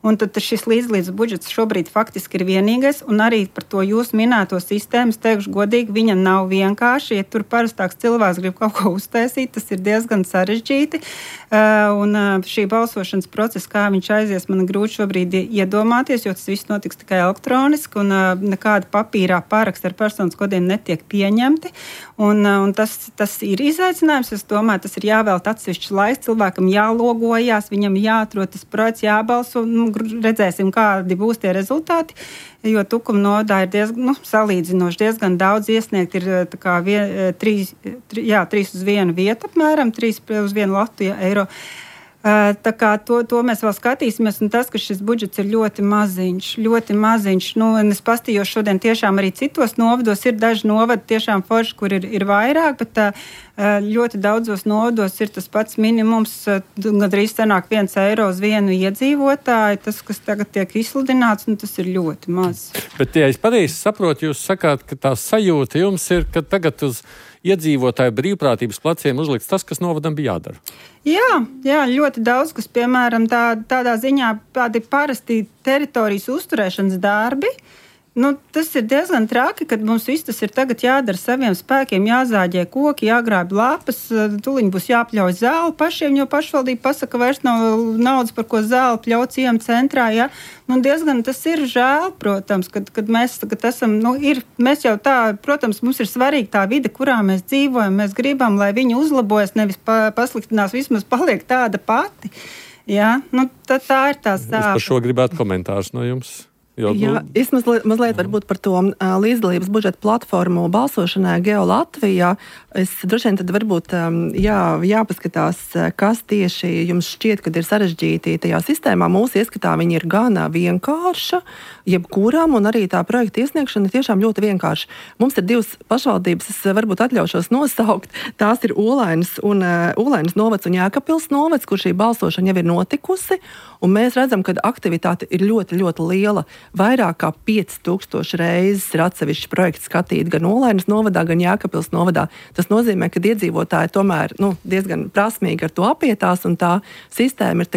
Un tad šis līdzlīdz budžets šobrīd faktiski ir vienīgais, un arī par to jūs minēto sistēmu, es teikšu godīgi, viņa nav vienkārši. Ja tur parastāks cilvēks grib kaut ko uztaisīt, tas ir diezgan sarežģīti. Un šī balsošanas procesa, kā viņš aizies, man grūti šobrīd iedomāties, jo tas viss notiks tikai elektroniski, un nekāda papīrā pāraksta ar personas kodiem netiek pieņemti. Un tas ir izaicinājums. Es domāju, tas ir jāvēlt atsevišķs laiks, cilvēkam jālogojās, viņam jāatrod tas projekts, jābalso. Redzēsim, kādi būs tie rezultāti, jo Tukuma novadā ir salīdzinoši diezgan daudz iesniegt. Ir 3 uz 1 vietu apmēram, 3 uz 1 latu eiro. Tā kā to mēs vēl skatīsimies, un tas, ka šis budžets ir ļoti maziņš. Es pastījos šodien tiešām arī citos novados, ir daži novadi tiešām forši, kur ir vairāk, bet ļoti daudzos novados ir tas pats minimums, gandrīz sanāk 1 eiro uz 1 iedzīvotāju, tas, kas tagad tiek izsludināts, tas ir ļoti maz. Bet, ja es pareizi saprotu, jūs sakāt, ka tā sajūta jums ir, ka tagad uz iedzīvotāju brīvprātības pleciem uzlikts tas, kas novadam bija jādara. Jā, ļoti daudz, kas, piemēram, tādā ziņā tādi parasti teritorijas uzturēšanas darbi. Tas ir diezgan traki, kad mums viss tas ir tagad jādara saviem spēkiem, jāzāģē koki, jāgrāb lapas, tuliņ būs jāpļauj zāli pašiem, jo pašvaldība pasaka, vairs nav naudas, par ko zāli pļauj ciema centrā. Ja? Diezgan tas ir žēl, protams, kad mēs tagad esam, mēs jau tā, protams, mums ir svarīgi tā vide, kurā mēs dzīvojam, mēs gribam, lai viņi uzlabojas, nevis pasliktinās, vismaz paliek tāda pati. Ja? Tā ir tā stāva. Es par šo gribētu komentārus no jums. Es mazliet varbūt par to līdzdalības budžeta platformu balsošanai Geo Latvijā. Es droši vien tad varbūt jāpaskatās, kas tieši jums šķiet, kad ir sarežģīti tajā sistēmā. Mūsu ieskatā viņi ir gan vienkārša, jebkuram, un arī tā projekta iesniegšana ir tiešām ļoti vienkārša. Mums ir 2 pašvaldības, es varbūt atļaušos nosaukt. Tās ir Olainas novads un Jēkabpils novads, kur šī balsošana jau ir notikusi, un mēs redzam, ka aktivitāte ir ļoti, ļoti liela. Vairāk kā 5000 reizes ir atsevišķi projekti skatīt gan Olainas novadā, gan Jēkabpils novadā. Tas nozīmē, ka iedzīvotāji tomēr diezgan prasmīgi ar to apietās, un tā sistēma ir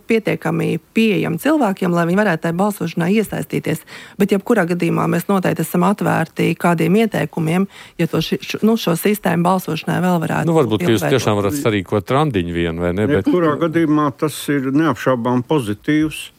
pietiekami pieejama cilvēkiem, lai viņi varētu tajā balsošanā iesaistīties. Bet jebkurā gadījumā mēs noteikti esam atvērti kādiem ieteikumiem, ja šo sistēmu balsošanai vēl varētu. Varbūt jūs tiešām varat sarīkot randiņu vienu, vai ne? Jebkurā gadījumā tas ir neapšaubām pozitīvs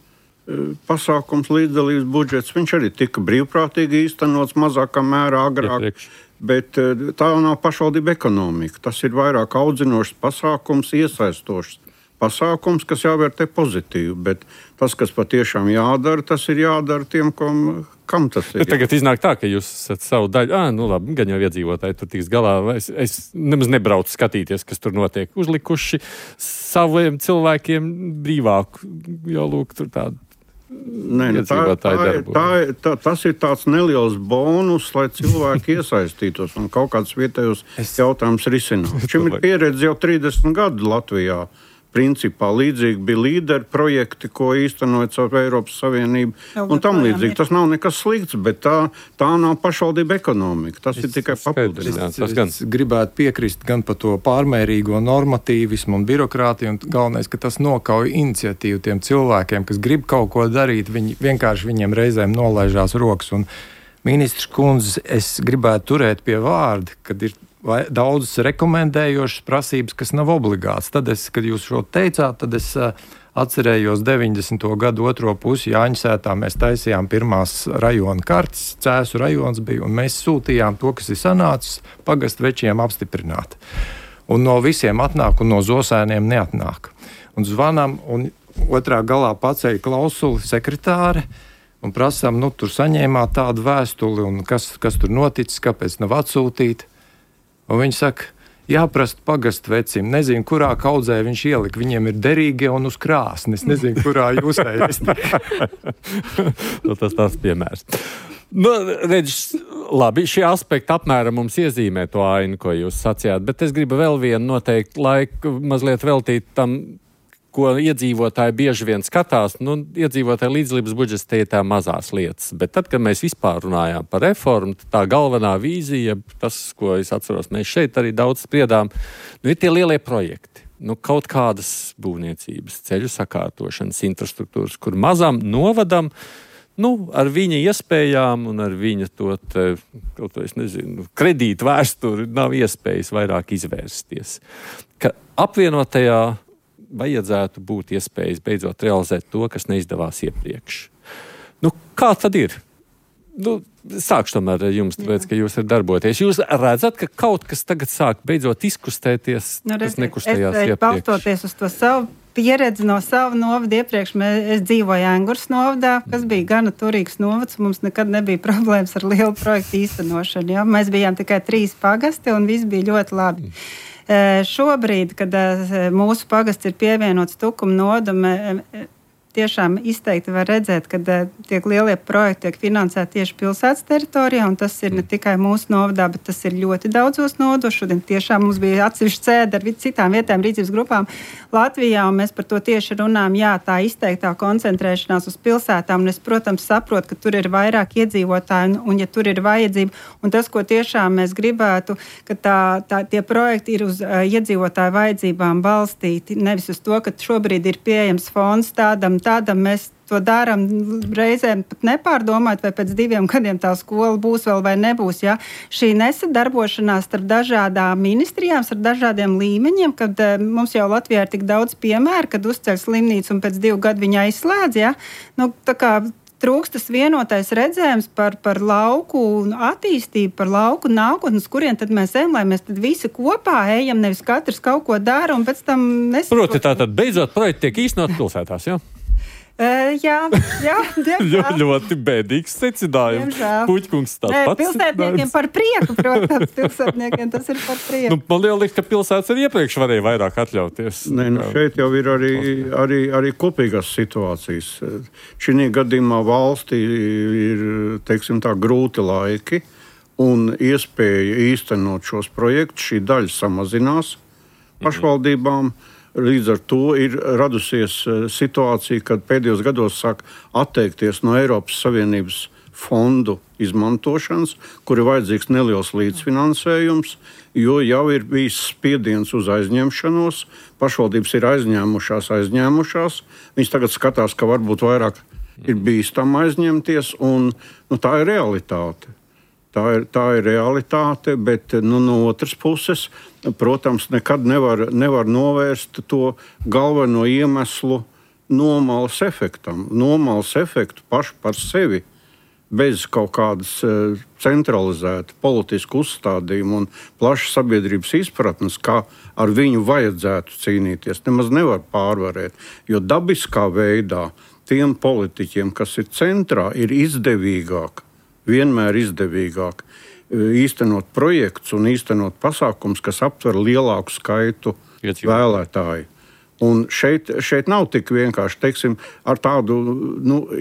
pasākums, līdzdalības budžets. Viņš arī tika brīvprātīgi īstenots mazākā mērā agrāk, bet tā jau nav pašvaldība ekonomika. Tas ir vairāk audzinošs pasākums, iesaistošs pasākums, kas jāvērtē pozitīvi, bet tas, kas patiešām jādara, tas ir jādara tiem, kam tas ir. Bet tagad iznāk tā, ka jūs esat savu daļu, labi, gan jau iedzīvotāji tur tiks galā, es nemaz nebraucu skatīties, kas tur notiek, uzlikuši saviem cilvēkiem brīvāku, jo lūk, tur tādu. Tas ir tāds neliels bonus, lai cilvēki iesaistītos un kaut kādus vietējos jautājumus risinātu. Šim ir pieredze jau 30 gadu Latvijā. Principā līdzīgi bija līderi projekti, ko īstenoja caur Eiropas Savienību, un tam līdzīgi. Tas nav nekas slikts, bet tā nav pašvaldība ekonomika. Tas ir tikai papildinājums. Es gribētu piekrist gan par to pārmērīgo normatīvismu un birokrātiju, un galvenais, ka tas nokauj iniciatīvu tiem cilvēkiem, kas grib kaut ko darīt, viņi vienkārši viņiem reizēm nolaižās rokas. Un ministrs kundze, es gribētu turēt pie vārda, kad ir daudzas rekomendējošas prasības, kas nav obligāts. Tad kad jūs šo teicāt, tad es atcerējos 90. gadu otro pusi Jāņsētā. Mēs taisījām pirmās rajona kartes, Cēsu rajons bija, un mēs sūtījām to, kas ir sanācis, pagastu večiem apstiprināt. Un no visiem atnāk, un no Zosēniem neatnāk. Un zvanām, un otrā galā paceļ klausuli sekretāre, un prasām, tur saņēmāt tādu vēstuli, un kas tur noticis, kāpēc nav atsūtīt. Un viņi saka, jāprast pagastu vecim, nezinu, kurā kaudzē viņš ielika. Viņiem ir derīgie un uz krāsnes, nezinu, kurā jūs ejat. Tas tāds piemērs. Redz, labi, šie aspekti apmēram mums iezīmē to ainu, ko jūs sacījāt, bet es gribu vēl vienu noteikti laiku mazliet veltīt tam, ko iedzīvotāji bieži vien skatās. Iedzīvotāji līdzdalības budžets tie ir tā mazās lietas. Bet tad, kad mēs vispār runājām par reformu, tā galvenā vīzija, tas, ko es atceros, mēs šeit arī daudz spriedām, ir tie lielie projekti. kaut kādas būvniecības, ceļu sakārtošanas, infrastruktūras, kur mazam novadam, ar viņa iespējām un ar viņa kredītu vēsturi nav iespējas vairāk izvērsties. Ka apvienotajā vajadzētu būt iespējas beidzot realizēt to, kas neizdevās iepriekš. Kā tad ir? Sākšu tomēr ar jums, tāpēc, ka jūs ir darboties. Jūs redzat, ka kaut kas tagad sāk beidzot izkustēties, kas nekustējās iepriekš? Balstoties uz to savu pieredzi no sava novada iepriekš, es dzīvoju Engurs novadā, kas bija gana turīgs novads, mums nekad nebija problēmas ar lielu projektu īstenošanu. Ja? Mēs bijām tikai 3 pagasti un viss bija ļoti labi. Šobrīd, kad mūsu pagasts ir pievienots Tukuma novadam, tiešām izteikti var redzēt, ka tiek lielie projekti tiek finansēti tieši pilsētas teritorijā, un tas ir ne tikai mūsu novadā, bet tas ir ļoti daudzos novados. Šodien tiešām mums bija atsevišķi sēde ar citām vietējām rīcības grupām Latvijā, un mēs par to tieši runājam. Jā, tā izteiktā koncentrēšanās uz pilsētām, un es, protams, saprotu, ka tur ir vairāk iedzīvotāji, un ja tur ir vajadzība, un tas, ko tiešām mēs gribētu, ka tie projekti ir uz iedzīvotāju vajadzībām balstīti, nevis uz to, ka šobrīd ir pieejams fonds tādam mēs to darām reizēm pat nepārdomājot, vai pēc 2 gadiem tā skola būs vēl vai nebūs. Ja? Šī nesadarbošanās starp dažādām ministrijām, starp dažādiem līmeņiem, kad mums jau Latvijā ir tik daudz piemēru, kad uzceļ slimnīcu un pēc 2 gadu viņa aizslēdz. Ja? Tā kā trūkst tas vienotais redzējums par lauku attīstību, par lauku nākotnes, kurien tad mēs ejam, lai mēs tad visi kopā ejam, nevis katrs kaut ko dara un pēc tam nesaprot. Proti, tātad beidzot projekti tiek īstenot pilsētās, jā? Jā, ļoti bēdīgs secinājums. Puķkungs tāds pats. Pilsētniekiem par prieku, protams, pilsētniekiem tas ir par prieku. Man liekas, ka pilsētas arī iepriekš varēja vairāk atļauties. Šeit jau ir arī kopīgās situācijas. Šī gadījumā valstī ir, teiksim tā, grūti laiki un iespēja īstenot šos projektus. Šī daļa samazinās pašvaldībām. Līdz ar to ir radusies situācija, kad pēdējos gados sāk atteikties no Eiropas Savienības fondu izmantošanas, kur ir vajadzīgs neliels līdzfinansējums, jo jau ir bijis spiediens uz aizņemšanos. Pašvaldības ir aizņēmušās. Viņas tagad skatās, ka varbūt vairāk ir bīstami aizņemties, un tā ir realitāte. Tā ir realitāte, bet no otras puses, protams, nekad nevar novērst to galveno iemeslu nomalas efektam. Nomalas efektu pašu par sevi, bez kaut kādas centralizēta politisku uzstādījumu un plašas sabiedrības izpratnes, kā ar viņu vajadzētu cīnīties, nemaz nevar pārvarēt. Jo dabiskā veidā tiem politiķiem, kas ir centrā, ir vienmēr izdevīgāk īstenot projekts un īstenot pasākums, kas aptver lielāku skaitu vēlētāju. Un šeit nav tik vienkārši, teiksim, ar tādu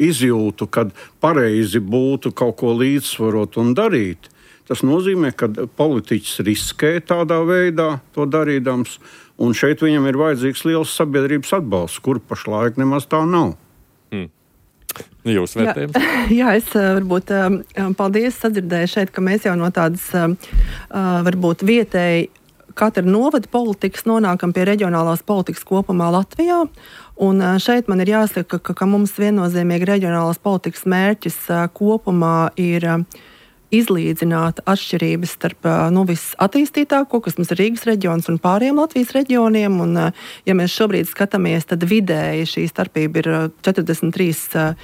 izjūtu, kad pareizi būtu kaut ko līdzsvarot un darīt. Tas nozīmē, ka politiķis riskē tādā veidā to darīdams, un šeit viņam ir vajadzīgs liels sabiedrības atbalsts, kur pašlaik nemaz tā nav. Jūs vērtējums? Jā, es varbūt paldies sadzirdēju šeit, ka mēs jau no tādas varbūt vietēji katra novada politikas nonākam pie reģionālās politikas kopumā Latvijā. Un šeit man ir jāsaka, ka mums viennozīmīgi reģionālās politikas mērķis kopumā ir izlīdzināt atšķirības starp visattīstītāko, kas mums ir Rīgas reģions un pārējiem Latvijas reģioniem. Un, ja mēs šobrīd skatāmies, tad vidēji šī starpība ir 43%,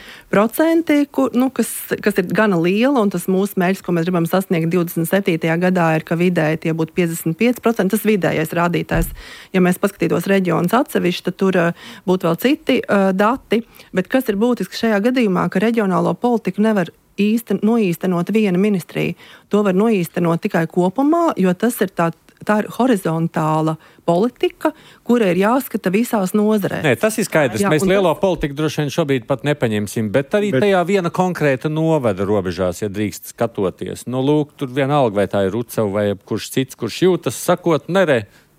kas ir gana liela, un tas mūsu mērķis, ko mēs gribam sasniegt 27. gadā, ir, ka vidēji tie būtu 55%. Tas vidējais rādītājs. Ja mēs paskatītos reģionus atsevišķi, tad tur būtu vēl citi dati. Bet kas ir būtiski šajā gadījumā, ka reģionālo politiku nevar noīstenot viena ministrija. To var noīstenot tikai kopumā, jo tas ir tā ir horizontāla politika, kura ir jāskata visās nozarēs. Nē, tas ir skaidrs. Mēs lielo politiku droši vien šobrīd pat nepaņemsim, bet arī tajā viena konkrēta novada robežās, ja drīkst skatoties. Lūk, tur vienalga, vai tā ir Rucava vai kurš cits, kurš jūtas, sakot,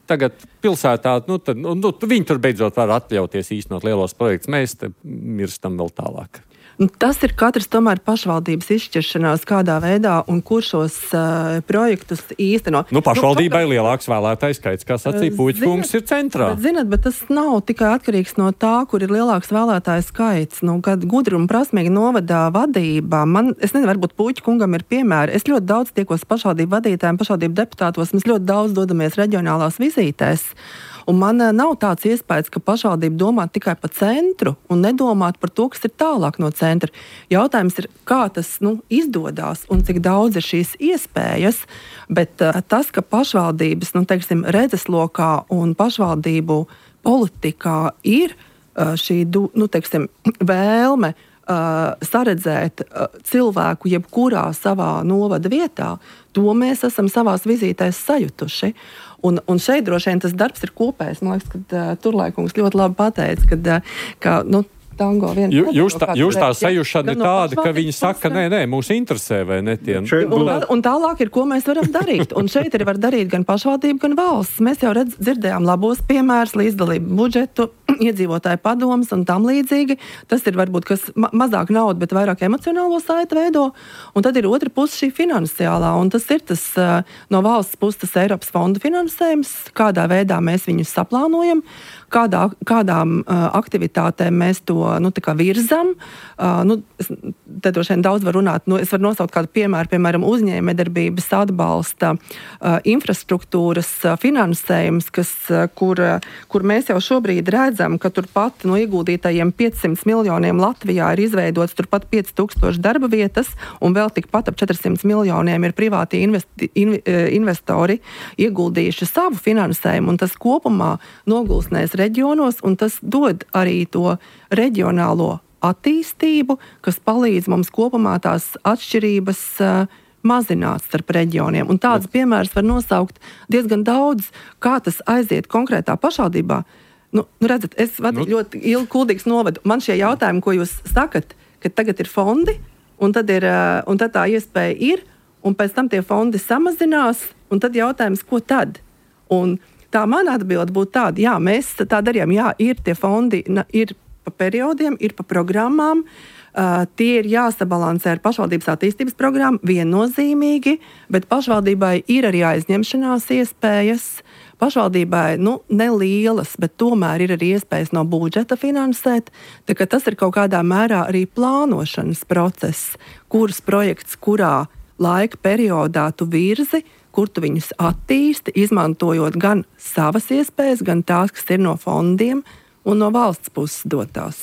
tagad pilsētā, viņi tur beidzot var atļauties īstenot lielos projektus. Mēs te mirstam vēl tālāk. Tas ir katrs tomēr pašvaldības izšķiršanās, kādā veidā un kur šos projektus īsteno. Pašvaldībai lielāks vēlētājs skaits, kā sacīja Puķkungs, ir centrā. Bet tas nav tikai atkarīgs no tā, kur ir lielāks vēlētājs skaits. Kad gudra un prasmīga novadā vadībā, es nezinu, varbūt Puķkungam ir piemēri. Es ļoti daudz tiekos pašvaldību vadītājiem, pašvaldību deputātos, mēs ļoti daudz dodamies reģionālās vizītēs. Un man nav tāds iespējas, ka pašvaldība domā tikai par centru un nedomāt par to, kas ir tālāk no centra. Jautājums ir, kā tas izdodās un cik daudz ir šīs iespējas, bet tas, ka pašvaldības redzeslokā un pašvaldību politikā ir šī vēlme saredzēt cilvēku jebkurā savā novada vietā, to mēs esam savās vizītēs sajutuši. Un šeit droši vien tas darbs ir kopējs. Man liekas, ka Turlaikungs ļoti labi pateica, ka tango viens... Jūs tā sajušana ir tāda, ka viņi saka, nē, mūs interesē, vai ne tie... Un tālāk ir, ko mēs varam darīt. Un šeit arī var darīt gan pašvaldība, gan valsts. Mēs jau dzirdējām labos piemērus, līdzdalību budžetu, iedzīvotāju padomas un tam līdzīgi. Tas ir varbūt, kas mazāk nauda, bet vairāk emocionālo saiti veido. Un tad ir otra puse šī finansiālā. Un tas ir tas no valsts puses tas Eiropas fonda finansējums, kādā veidā mēs viņus saplānojam, kādām aktivitātēm mēs to virzam. Te droši vien daudz var runāt. Es varu nosaukt kādu piemēru, piemēram, uzņēmējdarbības atbalsta infrastruktūras finansējums, kur mēs jau šobrīd redzam, ka turpat no ieguldītajiem 500 miljoniem Latvijā ir izveidots turpat 5000 darba vietas, un vēl tikpat ap 400 miljoniem ir privāti investori ieguldījuši savu finansējumu, un tas kopumā nogulsnēs reģionos, un tas dod arī to reģionālo attīstību, kas palīdz mums kopumā tās atšķirības mazināt starp reģioniem. Un tāds piemērs var nosaukt diezgan daudz, kā tas aiziet konkrētā pašvaldībā. Redzat, es vadīju ļoti ilgi Kuldīgas novadu. Man šie jautājumi, ko jūs sakat, ka tagad ir fondi, un tad tā iespēja ir, un pēc tam tie fondi samazinās, un tad jautājums, ko tad? Un tā mana atbilde būtu tāda, jā, mēs tā darījām, jā, ir tie fondi, ir pa periodiem, ir pa programmām, tie ir jāsabalansē ar pašvaldības attīstības programmu viennozīmīgi, bet pašvaldībai ir arī aizņemšanās iespējas. Pašvaldībai, nelielas, bet tomēr ir arī iespējas no budžeta finansēt, tā ka tas ir kaut kādā mērā arī plānošanas process, kuras projekts, kurā laika periodā tu virzi, kur tu viņus attīsti, izmantojot gan savas iespējas, gan tās, kas ir no fondiem un no valsts puses dotās.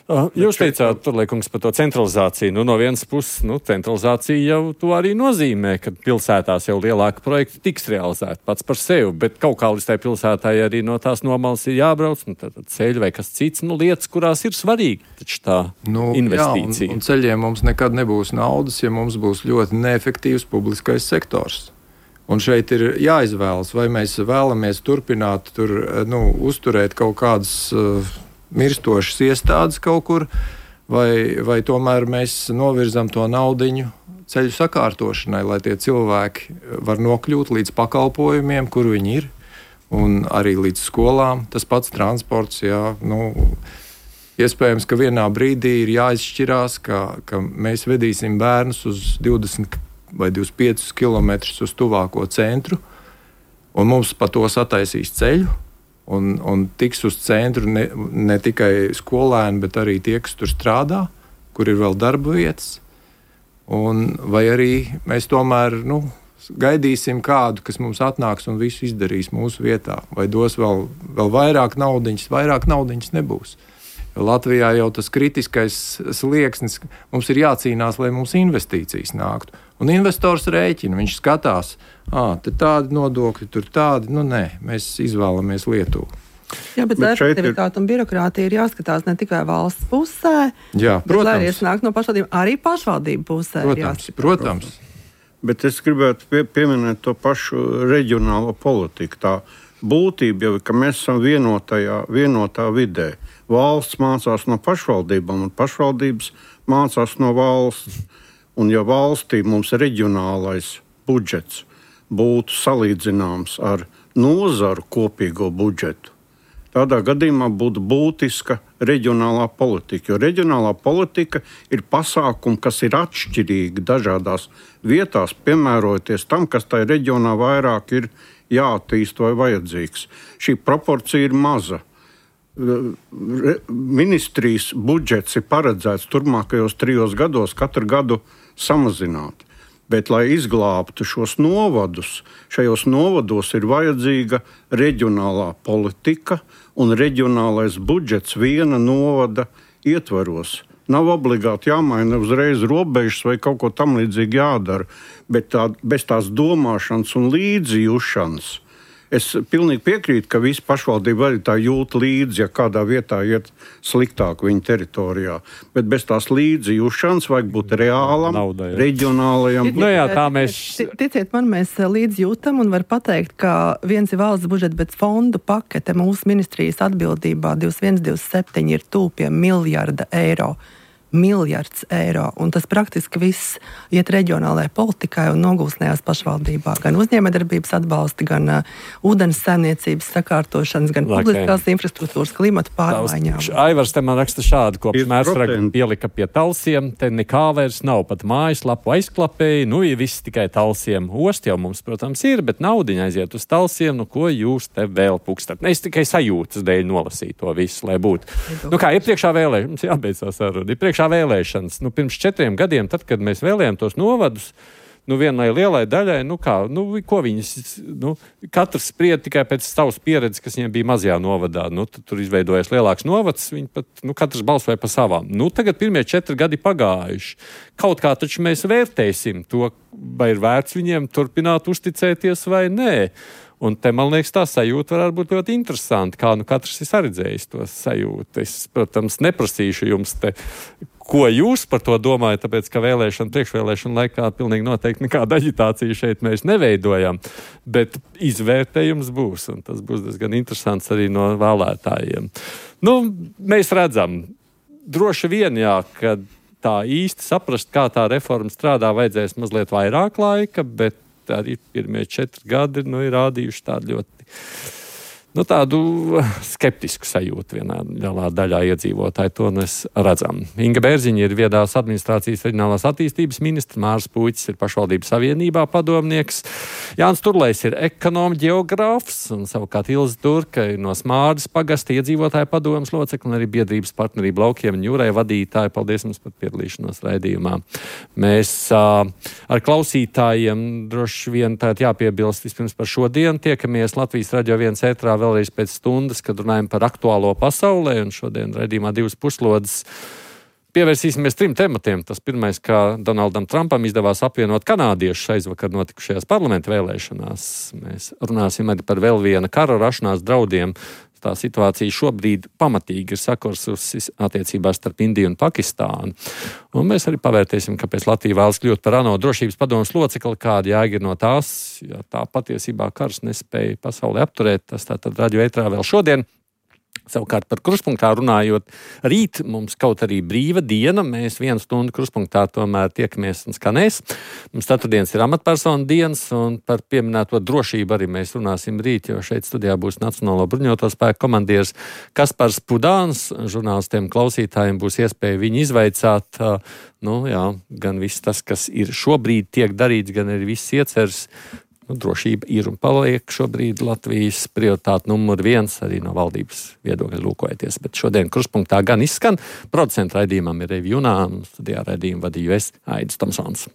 Jūs teicāt, Turlaikungs, par to centralizāciju. No vienas puses, centralizācija jau to arī nozīmē, ka pilsētās jau lielāka projekta tiks realizēta pats par sevi, bet kaut kā līdz tai pilsētai arī no tās nomalas ir jābrauc, tad ceļi vai kas cits, lietas, kurās ir svarīgi, taču tā investīcija. Jā, un ceļiem mums nekad nebūs naudas, ja mums būs ļoti neefektīvs publiskais sektors. Un šeit ir jāizvēlas, vai mēs vēlamies turpināt uzturēt kaut kādas mirstošas iestādes kaut kur, vai tomēr mēs novirzam to naudiņu ceļu sakārtošanai, lai tie cilvēki var nokļūt līdz pakalpojumiem, kur viņi ir, un arī līdz skolām. Tas pats transports, jā, iespējams, ka vienā brīdī ir jāizšķirās, ka mēs vedīsim bērnus uz 20 vai 25 kilometrus uz tuvāko centru, un mums pa to sataisīs ceļu, un tiks uz centru ne tikai skolēni, bet arī tie, kas tur strādā, kur ir vēl darba vietas, vai arī mēs tomēr gaidīsim kādu, kas mums atnāks un visu izdarīs mūsu vietā, vai dos vēl vairāk naudiņas nebūs. Latvijā jau tas kritiskais slieksnis, mums ir jācīnās, lai mums investīcijas nāktu. Un investors rēķina, viņš skatās, te tādi nodokļi, tur tādi, nē, mēs izvēlamies Lietuvu. Jā, bet efektivitāte un birokrātija ir jāskatās ne tikai valsts pusē, bet lai arī nāk no pašvaldību, arī pašvaldību pusē. Protams. Bet es gribētu pieminēt to pašu reģionālo politiku. Tā būtība jau ir, ka mēs esam vienotā vidē. Valsts mācās no pašvaldībām, un pašvaldības mācās no valsts. Un ja valstī mums reģionālais budžets būtu salīdzināms ar nozaru kopīgo budžetu, tādā gadījumā būtu būtiska reģionālā politika. Jo reģionālā politika ir pasākumi, kas ir atšķirīgi dažādās vietās, piemērojoties tam, kas tajā reģionā vairāk ir jāattīst vai vajadzīgs. Šī proporcija ir maza. Ministrijas budžets ir paredzēts turpmākajos 3 gados katru gadu samazināt. Bet, lai izglābtu šos novadus, šajos novados ir vajadzīga reģionālā politika un reģionālais budžets viena novada ietvaros. Nav obligāti jāmaina uzreiz robežas vai kaut ko tam līdzīgi jādara, bet bez tās domāšanas un līdzjūšanas. Es pilnīgi piekrītu, ka visi pašvaldība arī tā jūt līdzi, ja kādā vietā iet sliktāk viņa teritorijā. Bet bez tās līdzjūšanas vajag būt reālam, reģionālajam. Ticiet man, mēs līdzjūtam un var pateikt, ka viens ir valsts budžets, bet fondu pakete mūsu ministrijas atbildībā 21-27 ir tūp pie miljarda eiro. Miljards eiro, un tas praktiski viss iet reģionālajai politikai un nogūsnējās pašvaldībā. Gan uzņēmējdarbības atbalsti, gan ūdens saimniecības sakārtošanas, gan publiskās infrastruktūras, klimata pārmaiņām. Aivars te man raksta šādu, kopš Mērsraga pielika pie talsiem, te nekā vairs nav, pat mājaslapu aizklapēja, ja viss tikai talsiem. Ost jau mums, protams, ir, bet naudiņa aiziet uz talsiem, ko jūs te vēl pukstat. Es tikai sajūtas dēļ nolasīju to visu, lai būtu. Kā iepriekšā vēlēšanas, jābeidzās saruna. Vēlēšanas. Pirms 4 gadiem, tad, kad mēs vēlējām tos novadus, vienai lielai daļai, ko viņas, katrs spried tikai pēc savas pieredzes, kas viņiem bija mazajā novadā. Tur izveidojas lielāks novads, viņi pat, katrs balsoja pa savām. Tagad pirmie 4 gadi pagājuši. Kaut kā taču mēs vērtēsim to, vai ir vērts viņiem turpināt uzticēties vai nē. Un te, man liekas, tā sajūta varētu būt ļoti interesanti, kā katrs ir saredzējis to sajūtu. Es, protams, neprasīšu jums te, ko jūs par to domājat, tāpēc, ka priekšvēlēšana laikā pilnīgi noteikti nekāda aģitācija šeit mēs neveidojam, bet izvērtējums būs, un tas būs diezgan interesants arī no vēlētājiem. Mēs redzam, droši vien, ka tā īsti saprast, kā tā reforma strādā, vajadzēs mazliet vairāk laika, bet arī pirmie 4 gadi ir rādījuši tādu ļoti tādu skeptisku sajūtu vienā lielā daļā iedzīvotāji. To mēs redzam. Inga Bērziņa ir viedās administrācijas reģionālās attīstības ministrs, Māris Puicis ir pašvaldības savienībā padomnieks, Jānis Turlejs ir ekonomi ģeogrāfs, un savukārt Ilze Turka ir no Smārdas pagasta iedzīvotāju padomes locekli un arī biedrības partnerība Laukiem un jūrai vadītāji. Paldies jums par piedalīšanos raidījumā. Mēs ar klausītājiem droši vien jāpiebilst vispirms par šodienu. Tiekamies Latvijas Radio 1 ētrā vēlreiz pēc stundas, kad runājam par aktuālo pasaulē, un šodien raidījumā 2 puslodes pievērsīsimies 3 tematiem. Tas pirmais, kā Donaldam Trumpam izdevās apvienot kanādiešus aizvakar notikušajās parlamenta vēlēšanās. Mēs runāsim arī par vēl viena kara rašanās draudiem. Tā situācija šobrīd pamatīgi ir sakursusi attiecībās starp Indiju un Pakistānu. Un mēs arī pavērtēsim, kāpēc Latvija vēlas kļūt par ANO drošības padomes locekli, kāda jēga ir no tās, ja tā patiesībā karš nespēja pasauli apturēt. Tas tātad radio ētrā vēl šodien. Savukārt par kruspunktā runājot, rīt mums kaut arī brīva diena, mēs 1 stundu kruspunktā tomēr tiekamies un skanēs. Mums ceturtdienas ir amatpersonu dienas, un par pieminēto drošību arī mēs runāsim rīt, jo šeit studijā būs Nacionālo bruņoto spēku komandieris Kaspars Pudāns. Žurnālistiem, klausītājiem būs iespēja viņu izvaicāt, gan viss tas, kas ir šobrīd tiek darīts, gan arī viss ieceres. Drošība ir un paliek šobrīd Latvijas prioritāte numur 1 arī no valdības viedokļa lūkojoties. Bet šodien kruspunktā gan izskan. Producenta raidījumam ir Reivi Junā, un studijā raidījumu vadīju es, Aidis Tomsons.